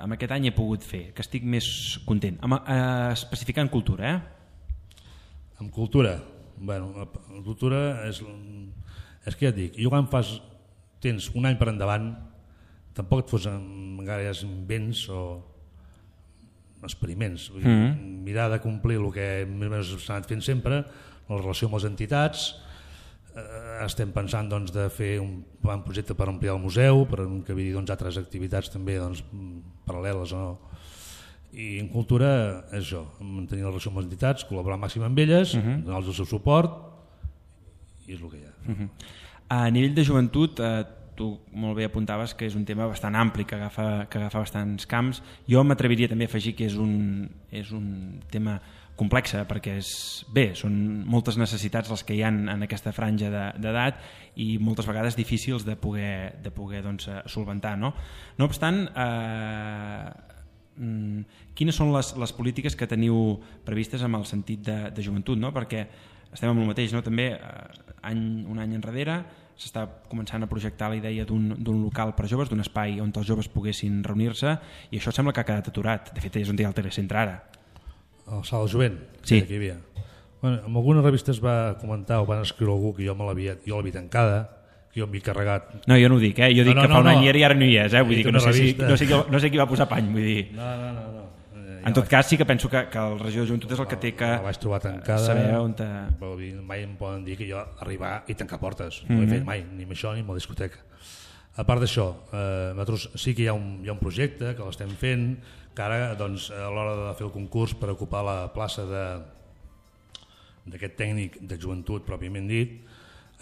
amb aquest any he pogut fer, que estic més content? Especificant cultura, Amb cultura? Bueno, la cultura és que ja et dic, jo quan tens un any per endavant, tampoc et fos gaires invents o experiments. Mirar de complir el que més s'ha anat fent sempre, la relació amb les entitats. Estem pensant de fer un projecte per ampliar el museu, per encabir altres activitats també paral·leles. I en cultura és això, mantenir la relació amb les entitats, col·laborar màxim amb elles, donar-los el seu suport, i és el que hi ha. A nivell de joventut, tu molt bé apuntaves que és un tema bastant ampli, que agafa bastants camps. Jo m'atreviria també a afegir que és un tema complex, perquè són moltes necessitats les que hi ha en aquesta franja d'edat i moltes vegades difícils de poder solventar. No obstant, quines són les polítiques que teniu previstes amb el sentit de joventut? Perquè estem amb el mateix, també un any enrere s'està començant a projectar la idea d'un local per joves, d'un espai on els joves poguessin reunir-se, i això sembla que ha quedat aturat. De fet, és on hi ha el telecentre ara. El Sala Jovent? Sí. Que hi havia. En algunes revistes va comentar o van escriure algú que jo l'havia tancada, que jo m'hi carregat. No, jo no ho dic, jo dic que fa un any i ara no hi és, vull dir que no sé qui va posar pany, vull dir. No. En tot cas, sí que penso que el regidor de joventut és el que té que vaig trobar tancada, saber on... Mai em poden dir que jo arribar i tancar portes. No ho he fet mai, ni amb això ni amb la discoteca. A part d'això, nosaltres sí que hi ha un projecte que l'estem fent, que ara a l'hora de fer el concurs per ocupar la plaça d'aquest tècnic de joventut pròpiament dit,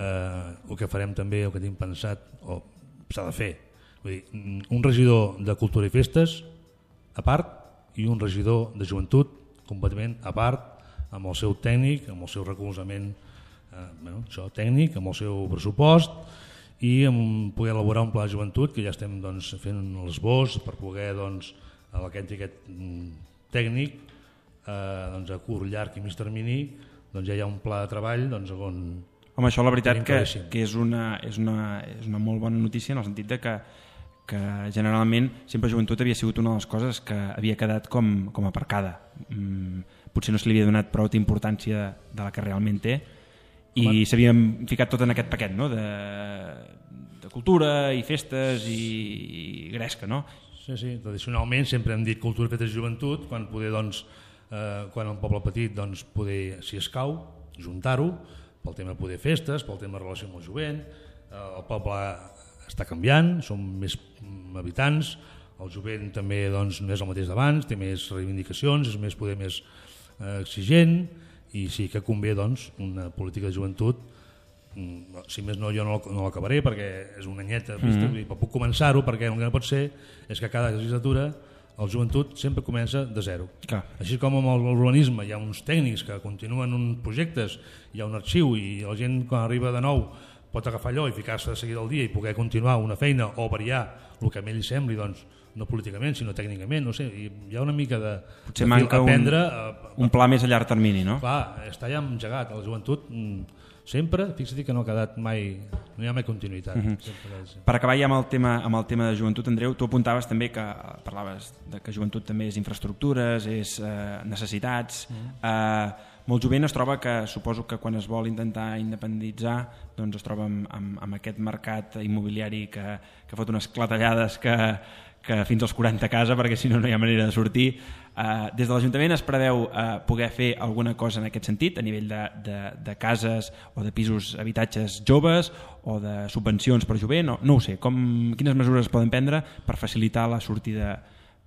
el que farem també, el que tinc pensat, o s'ha de fer, vull dir, un regidor de cultura i festes a part i un regidor de joventut completament a part, amb el seu tècnic, amb el seu recolzament tècnic, amb el seu pressupost, i amb poder elaborar un pla de joventut que ja estem fent l'esbós per poder aquest tècnic a curt, llarg i mig termini ja hi ha un pla de treball on... Home, això la veritat que és una molt bona notícia en el sentit de que generalment sempre joventut havia sigut una de les coses que havia quedat com aparcada. Potser no se li havia donat prou d'importància de la que realment té i s'havien ficat tot en aquest paquet de cultura i festes i gresca, no? Sí, tradicionalment sempre hem dit cultura, festes i joventut, quan un poble petit poder, si escau, juntar-ho pel tema de poder festes, pel tema de relació amb el jovent. El poble està canviant, som més habitants, el jovent també no és el mateix d'abans, té més reivindicacions, és més exigent, i sí que convé una política de joventut. Si més no, jo no l'acabaré perquè és una anyeta, però puc començar-ho, perquè el que no pot ser és que cada legislatura el joventut sempre comença de zero. Així com amb l'urbanisme hi ha uns tècnics que continuen uns projectes, hi ha un arxiu i la gent quan arriba de nou pot agafar allò i ficar-se de seguida al dia i poder continuar una feina o variar el que a ell li sembli, no políticament sinó tècnicament, no sé, hi ha una mica de potser manca un pla més a llarg termini, no? Clar, està ja engegat, la joventut sempre, fixa't que no ha quedat mai, no hi ha mai continuïtat. Per acabar ja amb el tema de joventut, Andreu, tu apuntaves també que parlaves de que joventut també és infraestructures, és necessitats, molt jovent es troba que, suposo que quan es vol intentar independitzar, doncs es troba amb aquest mercat immobiliari que fot unes clatellades que fins als 40 a casa, perquè si no no hi ha manera de sortir. Des de l'Ajuntament es preveu poder fer alguna cosa en aquest sentit, a nivell de cases o de pisos, habitatges joves o de subvencions per jovent, no ho sé, quines mesures es poden prendre per facilitar la sortida,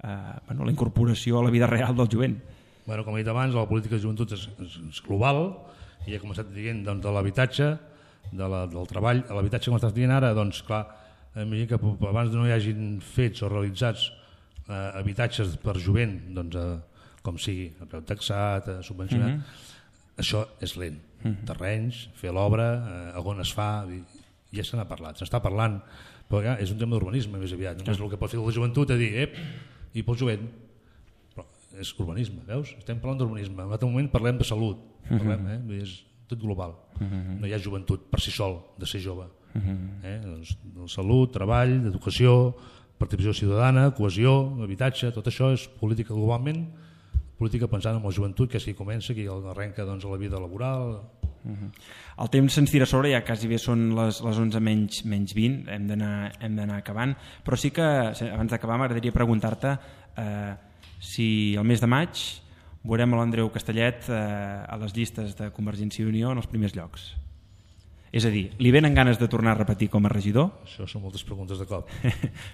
la incorporació a la vida real del jovent? Bueno, com he dit abans, la política de joventut és global, i he començat dient doncs, de l'habitatge, del treball. L'habitatge, com estàs dient ara, doncs clar, imagina que abans no hi hagin fets o realitzats habitatges per jovent, doncs, com sigui, a preu taxat, subvencionat, això és lent. Terrenys, fer l'obra, on es fa, ja se n'ha parlat, s'està parlant, però és un tema d'urbanisme més aviat, només el que pot fer la joventut és dir, i pel jovent, però és urbanisme, veus? Estem parlant d'urbanisme, en un altre moment parlem de salut, és tot global, no hi ha joventut per si sol de ser jove. Doncs, salut, treball, educació, participació ciutadana, cohesió, habitatge, tot això és política globalment, política pensant en la joventut, que és qui comença, qui arrenca doncs, a la vida laboral. El temps se'ns tira a sobre, ja quasi bé són les 11 menys 20, hem d'anar acabant, però sí que abans d'acabar m'agradaria preguntar-te si el mes de maig veurem l'Andreu Castellet a les llistes de Convergència i Unió en els primers llocs. És a dir, li venen ganes de tornar a repetir com a regidor? Això són moltes preguntes de cop.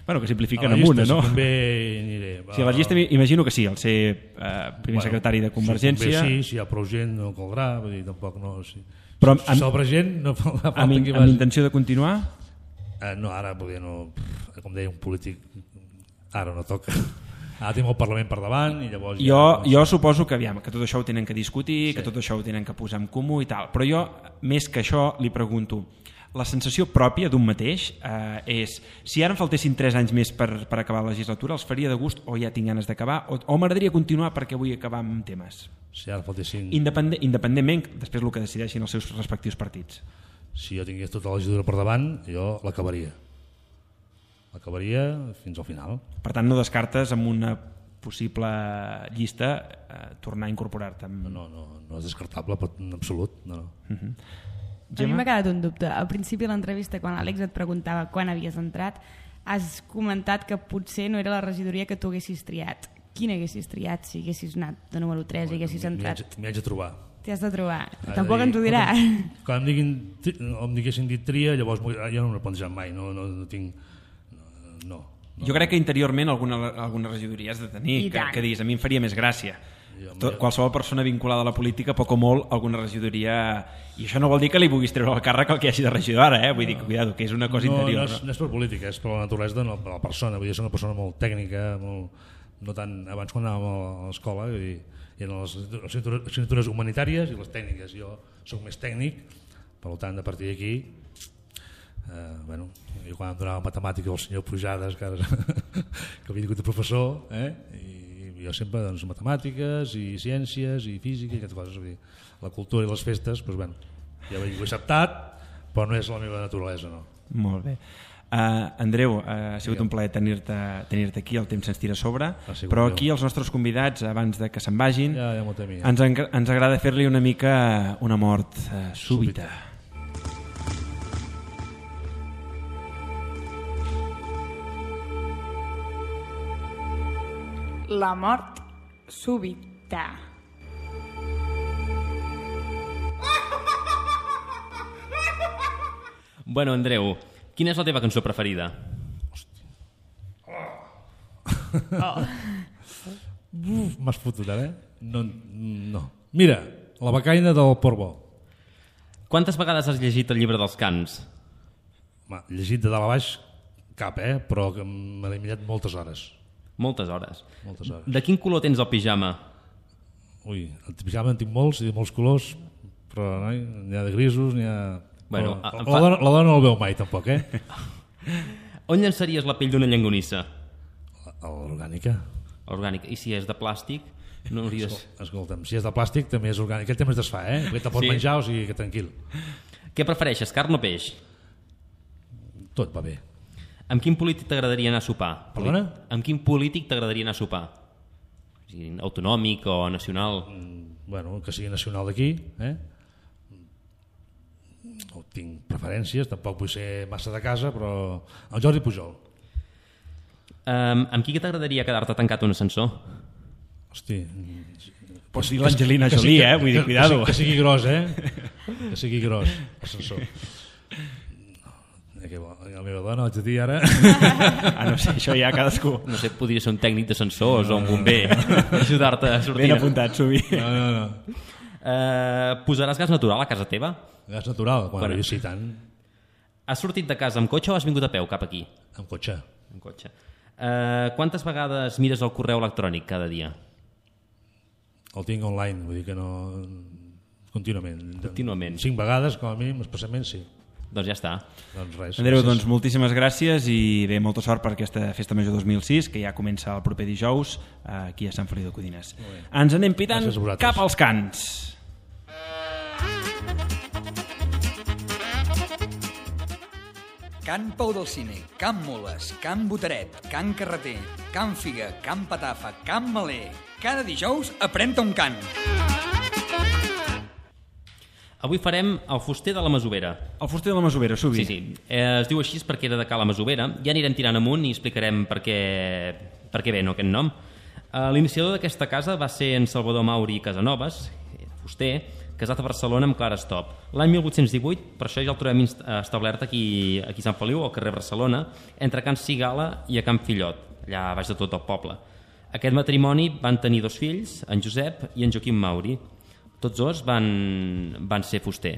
Bueno, que simplifiquen amb una, no? Si convé, aniré. Si a la llista imagino que sí, el ser primer secretari de Convergència... Si convé, sí, si hi ha prou gent no caldrà, vull dir, tampoc no... Però si sobra gent no fa falta que vagi. Amb intenció de continuar? No, ara poder no... Com deia un polític, ara no toca. Ara tenim el Parlament per davant i llavors... Jo suposo que tot això ho tenen que discutir, que tot això ho tenen que posar en comú i tal, però jo, més que això, li pregunto, la sensació pròpia d'un mateix és, si ara em faltessin 3 anys més per acabar la legislatura, els faria de gust o ja tinc ganes d'acabar, o m'agradaria continuar perquè vull acabar amb temes? Si ara faltessin... Independentment, després el que decideixin els seus respectius partits. Si jo tingués tota la legislatura per davant, jo l'acabaria fins al final. Per tant, no descartes amb una possible llista tornar a incorporar-te? No és descartable en absolut. No. A mi m'ha quedat un dubte. Al principi de l'entrevista, quan l'Àlex et preguntava quan havies entrat, has comentat que potser no era la regidoria que tu haguessis triat. Quina haguessis triat si haguessis anat de número 3 i haguessis entrat? M'hi haig de trobar. T'hi has de trobar. Tampoc ens ho dirà. Quan em diguessin dit tria, llavors jo no m'ho he plantejat mai. No tinc... No. Jo crec que interiorment alguna regidoria has de tenir, que diguis, a mi em faria més gràcia. Qualsevol persona vinculada a la política, poc o molt, alguna regidoria... I això no vol dir que li puguis treure el càrrec al que hagi de regidor ara, vull dir, cuidado, que és una cosa interior. No és per política, és per la naturalesa de la persona. Vull dir, és una persona molt tècnica, no tant... Abans quan anàvem a l'escola hi eren les assignatures humanitàries i les tècniques. Jo soc més tècnic, per tant, a partir d'aquí... jo quan em donava matemàtica al senyor Pujades que havia vingut de professor i jo sempre matemàtiques i ciències i física i aquestes coses, la cultura i les festes ja ho he acceptat, però no és la meva naturalesa, no. Molt bé. Andreu, ha sigut un plaer tenir-te aquí, el temps se'ns tira a sobre, però aquí els nostres convidats, abans de que se'n vagin, ens agrada fer-li una mica una mort súbita. La mort súbita. Bueno, Andreu, quina és la teva cançó preferida? M'has fotut ara, No. Mira, La becaina del Portbó. Quantes vegades has llegit el llibre dels Cants? Llegit de dalt a baix cap, però que m'ha eliminat moltes hores. Moltes hores. De quin color tens el pijama? Ui, el pijama en tinc molts i de molts colors, però n'hi ha de grisos, n'hi ha... Bueno, la dona no el veu mai, tampoc, On llençaries la pell d'una llonganissa? Orgànica. Orgànica. I si és de plàstic? No hauries... Escolta'm, si és de plàstic també és orgànic. Aquest tema es desfà, Perquè te pots menjar, o sigui que tranquil. Què prefereixes, carn o peix? Tot va bé. Amb quin polític t'agradaria anar a sopar? Perdona? Amb quin polític t'agradaria anar a sopar? Autonòmic o nacional? que sigui nacional d'aquí, no tinc preferències, tampoc vull ser massa de casa, però el Jordi Pujol. Amb qui t'agradaria quedar-te tancat un ascensor? Hosti, pots dir l'Angelina Jolie, vull dir, cuidado. Que sigui gros, que sigui gros l'ascensor. La meva dona, vaig a dir ara. No sé, això ja cadascú. No sé, podria ser un tècnic d'ascensors o un bomber per ajudar-te a sortir. Ben apuntat, Subi. No. Posaràs gas natural a casa teva? Gas natural? Bueno, jo sí, tant. Has sortit de casa amb cotxe o has vingut a peu cap aquí? Amb cotxe. Amb cotxe. Quantes vegades mires el correu electrònic cada dia? El tinc online, vull dir que no... Contínuament. 5 Contínuament. vegades, com a mínim, especialment sí. Doncs ja està. Doncs res. Andreu, doncs moltíssimes gràcies i bé, molta sort per aquesta Festa Major 2006, que ja comença el proper dijous aquí a Sant Feliu de Codines. Ens anem pitant cap als cants. Can Pau del Cine, Can Moles, Can Boteret, Can Carreter, Can Figa, Can Patafa, Can Maler. Cada dijous aprèn-te un cant. Avui farem el fuster de la Masovera. El fuster de la Masovera, Subi. Sí. Es diu així perquè era de Cala Masovera. Ja anirem tirant amunt i explicarem per què ve aquest nom. L'iniciador d'aquesta casa va ser en Salvador Mauri Casanovas, fuster, casat a Barcelona amb Clara Estop. L'any 1818, per això ja el trobem establert aquí a Sant Feliu, al carrer Barcelona, entre Can Cigala i a Can Fillot, allà baix de tot el poble. Aquest matrimoni van tenir 2 fills, en Josep i en Joaquim Mauri. Tots dos van ser fuster.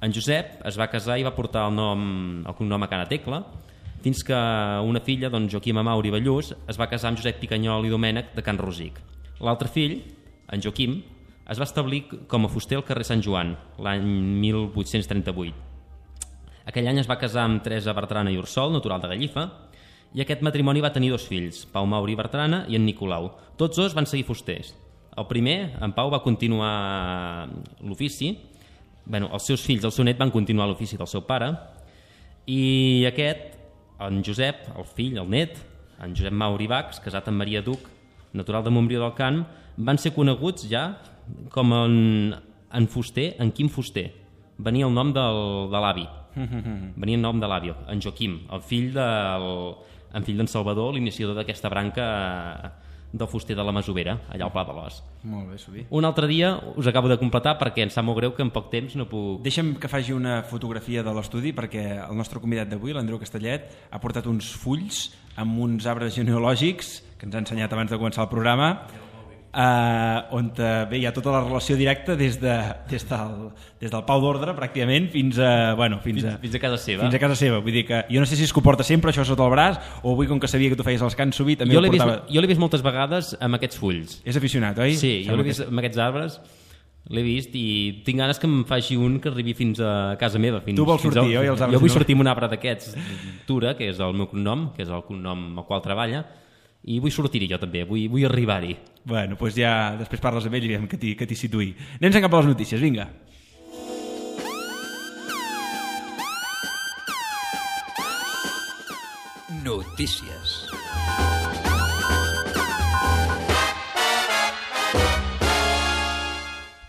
En Josep es va casar i va portar el cognom a Cana Tecla, fins que una filla, doncs Joaquim Mauri Ballús, es va casar amb Josep Picanyol i Domènec de Can Rosic. L'altre fill, en Joaquim, es va establir com a fuster al carrer Sant Joan, l'any 1838. Aquell any es va casar amb Teresa Bertrana i Ursol, natural de Gallifa, i aquest matrimoni va tenir 2 fills, Pau Mauri Bertrana i en Nicolau. Tots dos van seguir fusters. El primer, en Pau, va continuar l'ofici. Els seus fills, el seu net, van continuar l'ofici del seu pare. I aquest, en Josep, el fill, el net, en Josep Mauri Bacs, casat amb Maria Duc, natural de Montbrió del Camp, van ser coneguts ja com en fuster, en Quim Fuster. Venia el nom de l'avi. Venia el nom de l'avi, en Joaquim, el fill d'en Salvador, l'iniciador d'aquesta branca del fuster de la Masovera, allà al Pla de l'Os. Molt bé, Subi. Un altre dia us acabo de completar perquè em sap molt greu que en poc temps no puc... Deixa'm que faci una fotografia de l'estudi perquè el nostre convidat d'avui, l'Andreu Castellet, ha portat uns fulls amb uns arbres genealògics que ens ha ensenyat abans de començar el programa, on bé, hi ha tota la relació directa des del Pau d'Ordre pràcticament fins a casa seva. Fins a casa seva. Vull dir que jo no sé si es comporta sempre això sota el braç o avui, com que sabia que tu feies els cants sovint, també jo l'he vist moltes vegades amb aquests fulls. És aficionat, oi? Sí, jo l'he vist amb aquests arbres, l'he vist i tinc ganes que em faci un que arribi fins a casa meva. Tu vols sortir, oi? Jo vull sortir amb un arbre d'aquests, Tura, que és el meu cognom, que és el cognom al qual treballa, i vull sortir-hi jo també, vull arribar-hi. Bueno, doncs ja després parles amb ell i veiem que t'hi situï. Anem cap a les notícies, vinga. Notícies.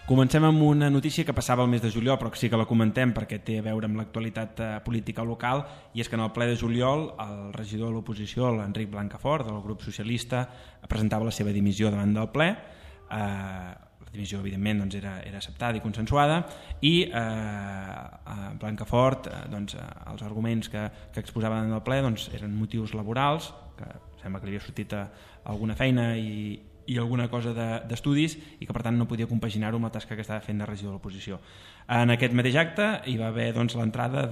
Comencem amb una notícia que passava el mes de juliol, però que sí que la comentem perquè té a veure amb l'actualitat política local, i és que en el ple de juliol el regidor de l'oposició, l'Enric Blancafort, del grup socialista, presentava la seva dimissió davant del ple. La dimissió, evidentment, doncs, era acceptada i consensuada, i Blancafort, els arguments que exposava davant del ple eren motius laborals, que sembla que li havia sortit alguna feina i alguna cosa d'estudis i que per tant no podia compaginar-ho amb la tasca que estava fent de regidor de l'oposició. En aquest mateix acte hi va haver l'entrada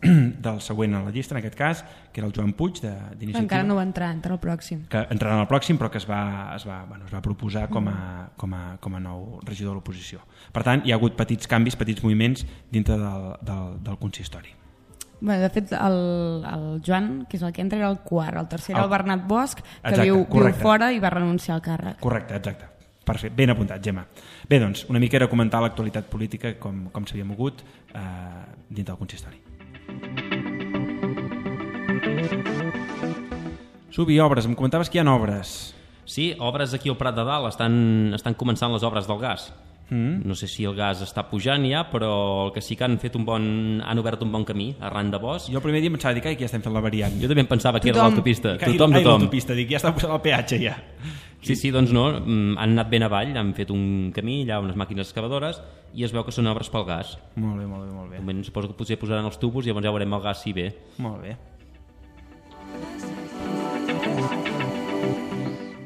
del següent a la llista, en aquest cas, que era el Joan Puig d'Iniciativa. Encara no va entrar, entra el pròxim. Que entrarà en el pròxim, però que es va proposar com a nou regidor de l'oposició. Per tant, hi ha hagut petits canvis, petits moviments dintre del consistori. Bé, de fet, el Joan, que és el que entra, era el quart. El tercer era el Bernat Bosch, que viu fora i va renunciar al càrrec. Correcte, exacte. Perfecte, ben apuntat, Gemma. Bé, doncs, una mica era comentar l'actualitat política com s'havia mogut dins del consistori. Subi, obres. Em comentaves que hi ha obres. Sí, obres aquí al Prat de Dalt. Estan començant les obres del gas. No sé si el gas està pujant ja, però el que sí que han obert un bon camí arran de Bosch. Jo el primer dia em pensava, que ja estem fent la variant. Jo també em pensava que era l'autopista. Tothom. L'autopista, dic, ja està posant el peatge ja. Sí, doncs no, han anat ben avall, han fet un camí, allà unes màquines excavadores, i es veu que són obres pel gas. Molt bé. De moment suposo que potser posaran els tubos i llavors ja veurem el gas si ve. Molt bé.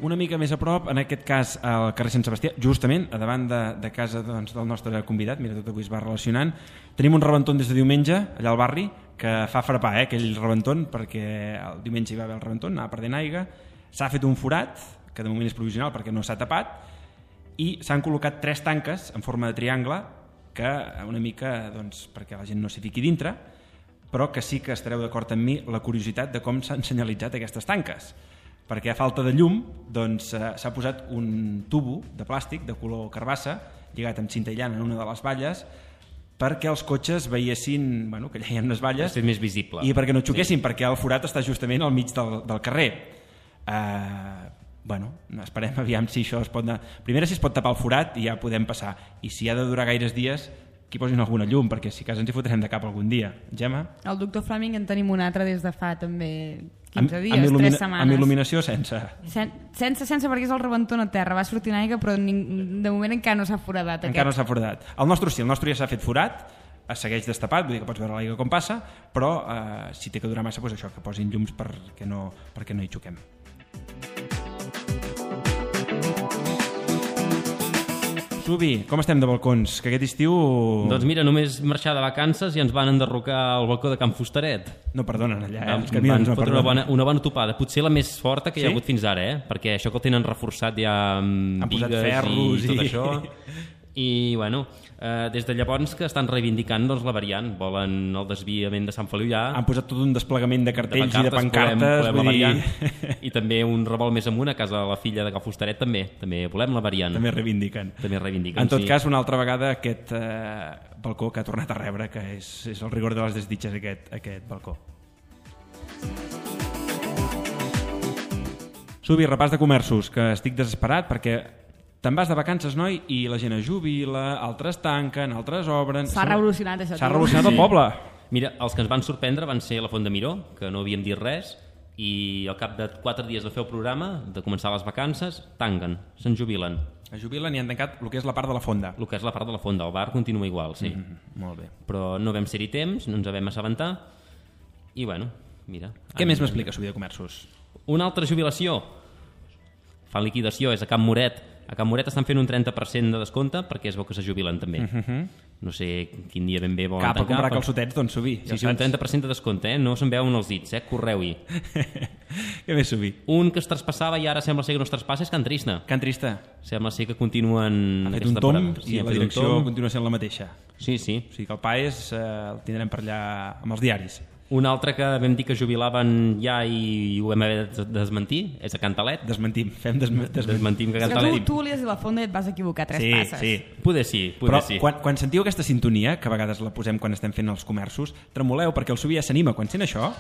Una mica més a prop, en aquest cas al carrer Sant Sebastià, justament a davant de casa del nostre convidat, mira, tot avui es va relacionant, tenim un rebentón des de diumenge allà al barri que fa frapar aquell rebentón, perquè el diumenge hi va haver el rebentón, anava perdent aigua, s'ha fet un forat, que de moment és provisional perquè no s'ha tapat, i s'han col·locat 3 tanques en forma de triangle que una mica, doncs, perquè la gent no s'hi fiqui dintre, però que sí que estareu d'acord amb mi la curiositat de com s'han senyalitzat aquestes tanques, perquè a falta de llum doncs, s'ha posat un tubo de plàstic de color carbassa lligat amb cinta aïllant en una de les valles perquè els cotxes veiessin que allà hi ha unes valles més visible. I perquè no xoquessin, perquè el forat està justament al mig del carrer. Esperem aviam si això es pot anar. Primera, si es pot tapar el forat i ja podem passar, i si ha de durar gaires dies que hi posin alguna llum, perquè si cas ens hi fotrem de cap algun dia. Gemma? El doctor Fleming en tenim un altre des de fa també 15 dies, 3 setmanes. Amb il·luminació sense? Sense perquè és el rebentó a terra, va sortint aigua però de moment encara no s'ha foradat. Encara no s'ha foradat. El nostre sí, el nostre ja s'ha fet forat, es segueix destapat, vull dir que pots veure l'aigua com passa, però si té que durar massa, doncs això, que posin llums perquè no hi xoquem. Subi, com estem de balcons? Que aquest estiu... Doncs mira, només marxar de vacances i ens van enderrocar al balcó de Can Fustaret. No perdonen allà, els camions no perdonen. Una bona topada, potser la més forta que hi ha hagut fins ara, perquè això que el tenen reforçat ja amb bigues i tot això. I bueno, des de llavors que estan reivindicant la variant, volen el desviament de Sant Feliu ja. Han posat tot un desplegament de cartells i de pancartes. I també un revolt més amunt a casa de la filla de Can Fustaret també volem la variant. També reivindiquen. En tot cas, una altra vegada aquest balcó que ha tornat a rebre, que és el rigor de les desditges aquest balcó. Subi, repàs de comerços, que estic desesperat perquè te'n vas de vacances, noi, i la gent es jubila, altres tanquen, altres obren... S'ha revolucionat això. S'ha revolucionat el poble. Mira, els que ens van sorprendre van ser la Font de Miró, que no havíem dit res, i al cap de 4 dies de fer el programa, de començar les vacances, tanquen, se'n jubilen. Es jubilen i han tancat el que és la part de la fonda. El que és la part de la fonda, el bar continua igual, sí. Molt bé. Però no vam ser-hi temps, no ens vam assabentar, i bueno, mira... Què més m'explica, Subi, de comerços? Una altra jubilació, fan liquidació, és a Can Moret. A Can Moret estan fent un 30% de descompte perquè es veu que se jubilen també. No sé quin dia ben bé volen tancar. Cap a comprar calçotets, doncs, Subi. Sí, un 30% de descompte, no se'n veuen els dits, correu-hi. Què més, Subi? Un que es traspassava i ara sembla ser que no es traspassa és Can Trista. Can Trista. Sembla ser que continuen... Ha fet un tomb i la direcció continua sent la mateixa. Sí. O sigui que el PAES el tindrem per allà amb els diaris. Un altre que vam dir que jubilaven ja i ho vam haver de desmentir és a Cantalet. Desmentim que Cantalet... Tu volies dir la fonda i et vas equivocar 3 passes. Sí. Poder sí. Però quan sentiu aquesta sintonia, que a vegades la posem quan estem fent els comerços, tremoleu perquè el Subi ja s'anima. Quan sent això...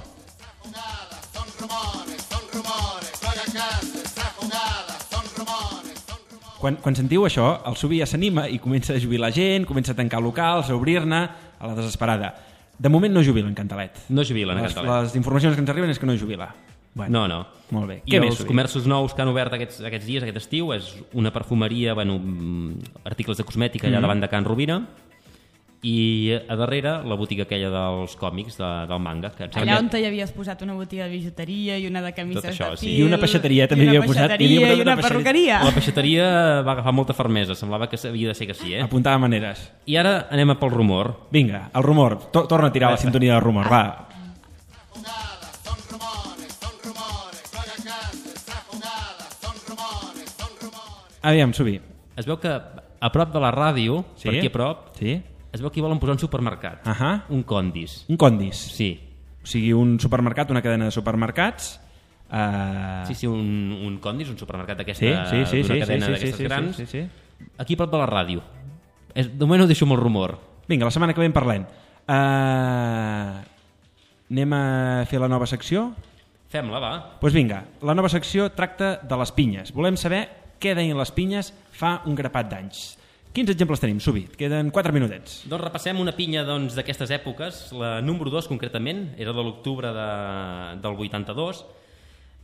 Quan sentiu això, el Subi ja s'anima i comença a jubilar gent, comença a tancar locals, a obrir-ne, a la desesperada. De moment no jubilen Cantalet. No jubilen a Cantalet. Les informacions que ens arriben és que no jubila. Bueno, no. Molt bé. I els comerços nous que han obert aquests dies, aquest estiu, és una perfumeria, articles de cosmètica allà davant de Can Rovira, i a darrere la botiga aquella dels còmics del manga. Allà on hi havies posat una botiga de bijuteria i una de camises de fil... I una peixateria també havia posat. I una perruqueria. La peixateria va agafar molta fermesa, semblava que havia de ser que sí. Apuntava maneres. I ara anem pel rumor. Vinga, el rumor. Torna a tirar la sintonia del rumor, va. Aviam, Subi. Es veu que a prop de la ràdio, per aquí a prop, es veu que hi volen posar un supermercat. Un Condis. Un Condis? Sí. O sigui, un supermercat, una cadena de supermercats... Sí, un Condis, un supermercat d'una cadena d'aquestes grans. Aquí a prop de la ràdio. De moment ho deixo amb el rumor. Vinga, la setmana que ve en parlem. Anem a fer la nova secció? Fem-la, va. Doncs vinga, la nova secció tracta de les pinyes. Volem saber què deien les pinyes fa un grapat d'anys. Quins exemples tenim, Subi? Queden 4 minutets. Doncs repassem una pinya d'aquestes èpoques. La número 2, concretament, era de l'octubre del 82,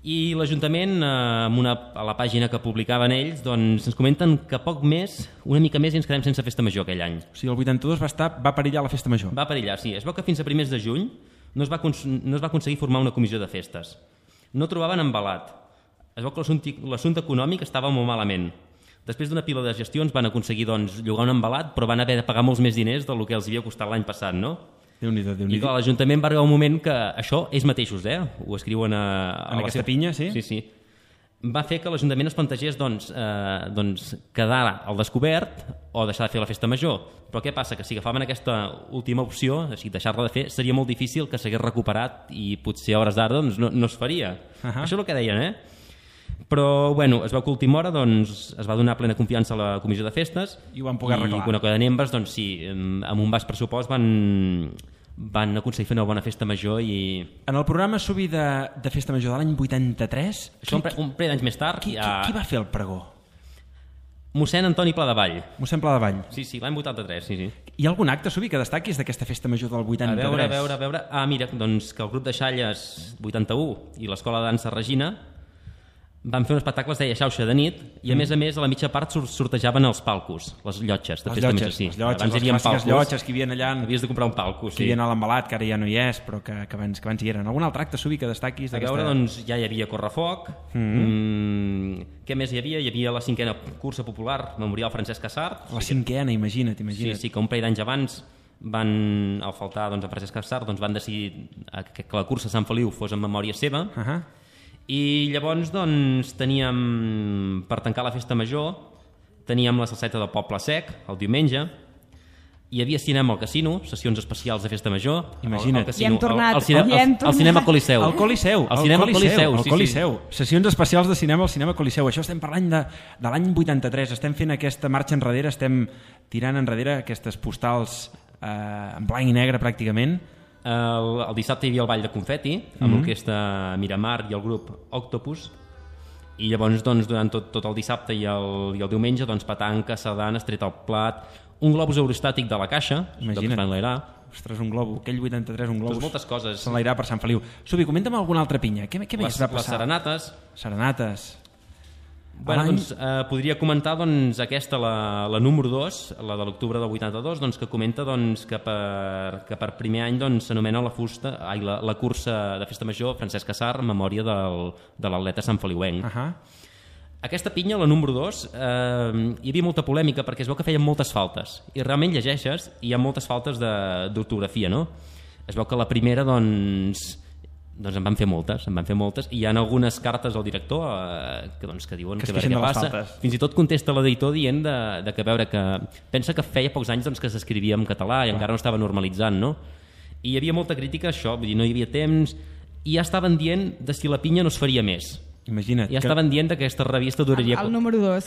i l'Ajuntament, a la pàgina que publicaven ells, doncs ens comenten que poc més, una mica més, i ens quedem sense festa major aquell any. O sigui, el 82 va perillar la festa major. Va perillar, sí. Es veu que fins a primers de juny no es va aconseguir formar una comissió de festes. No trobaven embalat. Es veu que l'assumpte econòmic estava molt malament. Després d'una pila de gestions van aconseguir llogar un embalat, però van haver de pagar molts més diners del que els havia costat l'any passat, no? Déu-n'hi-do, I clar, l'Ajuntament va arribar un moment que això, ells mateixos, ho escriuen en aquesta pinya, sí? Sí. Va fer que l'Ajuntament es plantegés quedar al descobert o deixar de fer la festa major. Però què passa? Que si agafaven aquesta última opció, o sigui, deixar-la de fer, seria molt difícil que s'hagués recuperat i potser a hores d'ara no es faria. Això és el que deien, Però, bueno, es veu que a última hora es va donar plena confiança a la comissió de festes i ho van poder arreglar. I quan queden embes, sí, amb un baix pressupost van aconseguir fer una bona festa major i... En el programa Subi de festa major de l'any 83... Això un parell d'anys més tard... Qui va fer el pregó? Mossèn Antoni Pladevall. Mossèn Pladevall. Sí, l'any 83, sí. Hi ha algun acte, Subi, que destaquis d'aquesta festa major del 83? A veure... mira, que el grup de Xalles 81 i l'Escola de Dansa Regina van fer un espectacle, es deia Xauxa de nit, i a més, a la mitja part sortejaven els palcos, les llotges. Les clàssiques llotges que hi havia allà... Havies de comprar un palco, sí. Que hi havia a l'embalat, que ara ja no hi és, però que abans hi eren. Algun altre acte, Subi, que destaquis? A veure, ja hi havia correfoc. Què més hi havia? Hi havia la 5a cursa popular, Memorial Francesc Casart. La 5a, imagina't. Sí, que un parell d'anys abans al faltar a Francesc Casart, van decidir que la cursa a Sant Feliu fos en memòria seva. I llavors teníem, per tancar la festa major, teníem la salseta del Poble Sec el diumenge, hi havia cinema al casino, sessions especials de festa major. Imagina't. I hem tornat. Al cinema Coliseu. Al Coliseu. Al Coliseu. Sessions especials de cinema al cinema Coliseu. Això estem parlant de l'any 83. Estem fent aquesta marxa enrere, estem tirant enrere aquestes postals en blanc i negre pràcticament. El dissabte hi havia el ball de confeti amb l'orquestra Miramar i el grup Octopus, i llavors durant tot el dissabte i el diumenge petanca, sardanes, tret al plat, un globus aerostàtic de la Caixa. Imagina't. Ostres, un globus, aquell 83, un globus. Moltes coses. S'enlairar per Sant Feliu. Subi, comenta'm alguna altra pinya. Què més va passar? Les Serenates. Bueno, podria comentar aquesta, la número 2, la de l'octubre del 82, que comenta que per primer any s'anomena la cursa de festa major Francesc Casart en memòria de l'atleta santfeliuenc. Aquesta pinya, la número 2, hi havia molta polèmica perquè es veu que feien moltes faltes, i realment llegeixes i hi ha moltes faltes d'ortografia, no? Es veu que la primera en van fer moltes, i hi ha algunes cartes al director que diuen que a veure què passa. Fins i tot contesta l'editor dient que veure que pensa que feia pocs anys que s'escrivia en català i encara no estava normalitzant, no? I hi havia molta crítica a això, vull dir, no hi havia temps, i ja estaven dient de si la pinya no es faria més. Imagina't. Ja estaven dient que aquesta revista duraria... El número 2.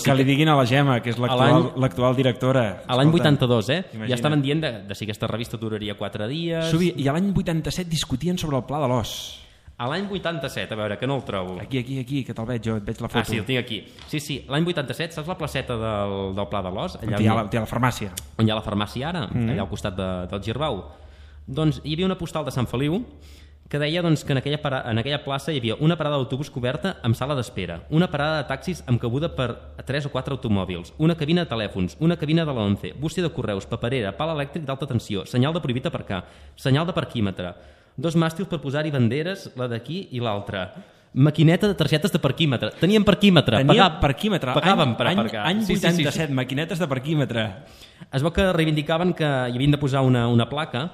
Que li diguin a la Gemma, que és l'actual directora. A l'any 82, Ja estaven dient de si aquesta revista duraria 4 dies... Subi, i a l'any 87 discutien sobre el Pla de l'Os. A l'any 87, a veure, que no el trobo. Aquí, que te'l veig jo, et veig la foto. Sí, el tinc aquí. Sí, l'any 87, saps la placeta del Pla de l'Os? On hi ha la farmàcia. On hi ha la farmàcia ara, allà al costat del Girbau. Doncs hi havia una postal de Sant Feliu que deia que en aquella plaça hi havia una parada d'autobús coberta amb sala d'espera, una parada de taxis amb cabuda per 3 o 4 automòbils, una cabina de telèfons, una cabina de l'11, bústia de correus, paperera, pal elèctric d'alta tensió, senyal de prohibit aparcar, senyal de parquímetre, 2 màstils per posar-hi banderes, la d'aquí i l'altra, maquineta de targetes de parquímetre. Teníem parquímetre. Parquímetre. Pagàvem per aparcar. Any 87, maquinetes de parquímetre. Es veu que reivindicaven que hi havien de posar una placa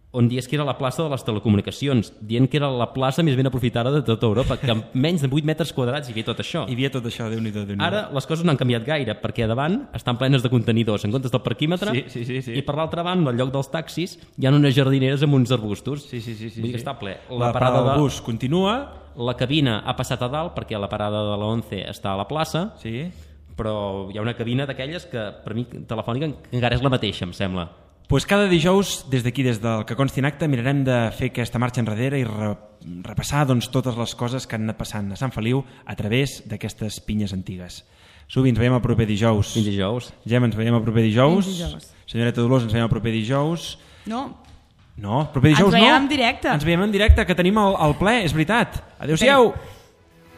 on dies que era la plaça de les telecomunicacions, dient que era la plaça més ben aprofitada de tota Europa, que amb menys de 8 metres quadrats hi havia tot això. Déu-n'hi-do. Ara les coses no han canviat gaire, perquè a davant estan plenes de contenidors en comptes del parquímetre, sí. I per l'altra banda, al lloc dels taxis, hi ha unes jardineres amb uns arbustos. Sí. Vull dir que està ple. La parada del bus continua. La cabina ha passat a dalt, perquè la parada de l'11 està a la plaça, sí. Però hi ha una cabina d'aquelles que, per mi, telefònica, encara és la mateixa, em sembla. Pues cada dijous, des d'aquí, des del que consti en acte, mirarem de fer aquesta marxa enrere i repassar totes les coses que han anat passant a Sant Feliu a través d'aquestes pinyes antigues. Subi, ens veiem el proper dijous. Fins dijous. Gem, ens veiem el proper dijous. Fins dijous. Senyoreta Dolors, ens veiem el proper dijous. No, proper dijous no. Ens veiem en directe. Ens veiem en directe, que tenim el ple, és veritat. Adéu-siau.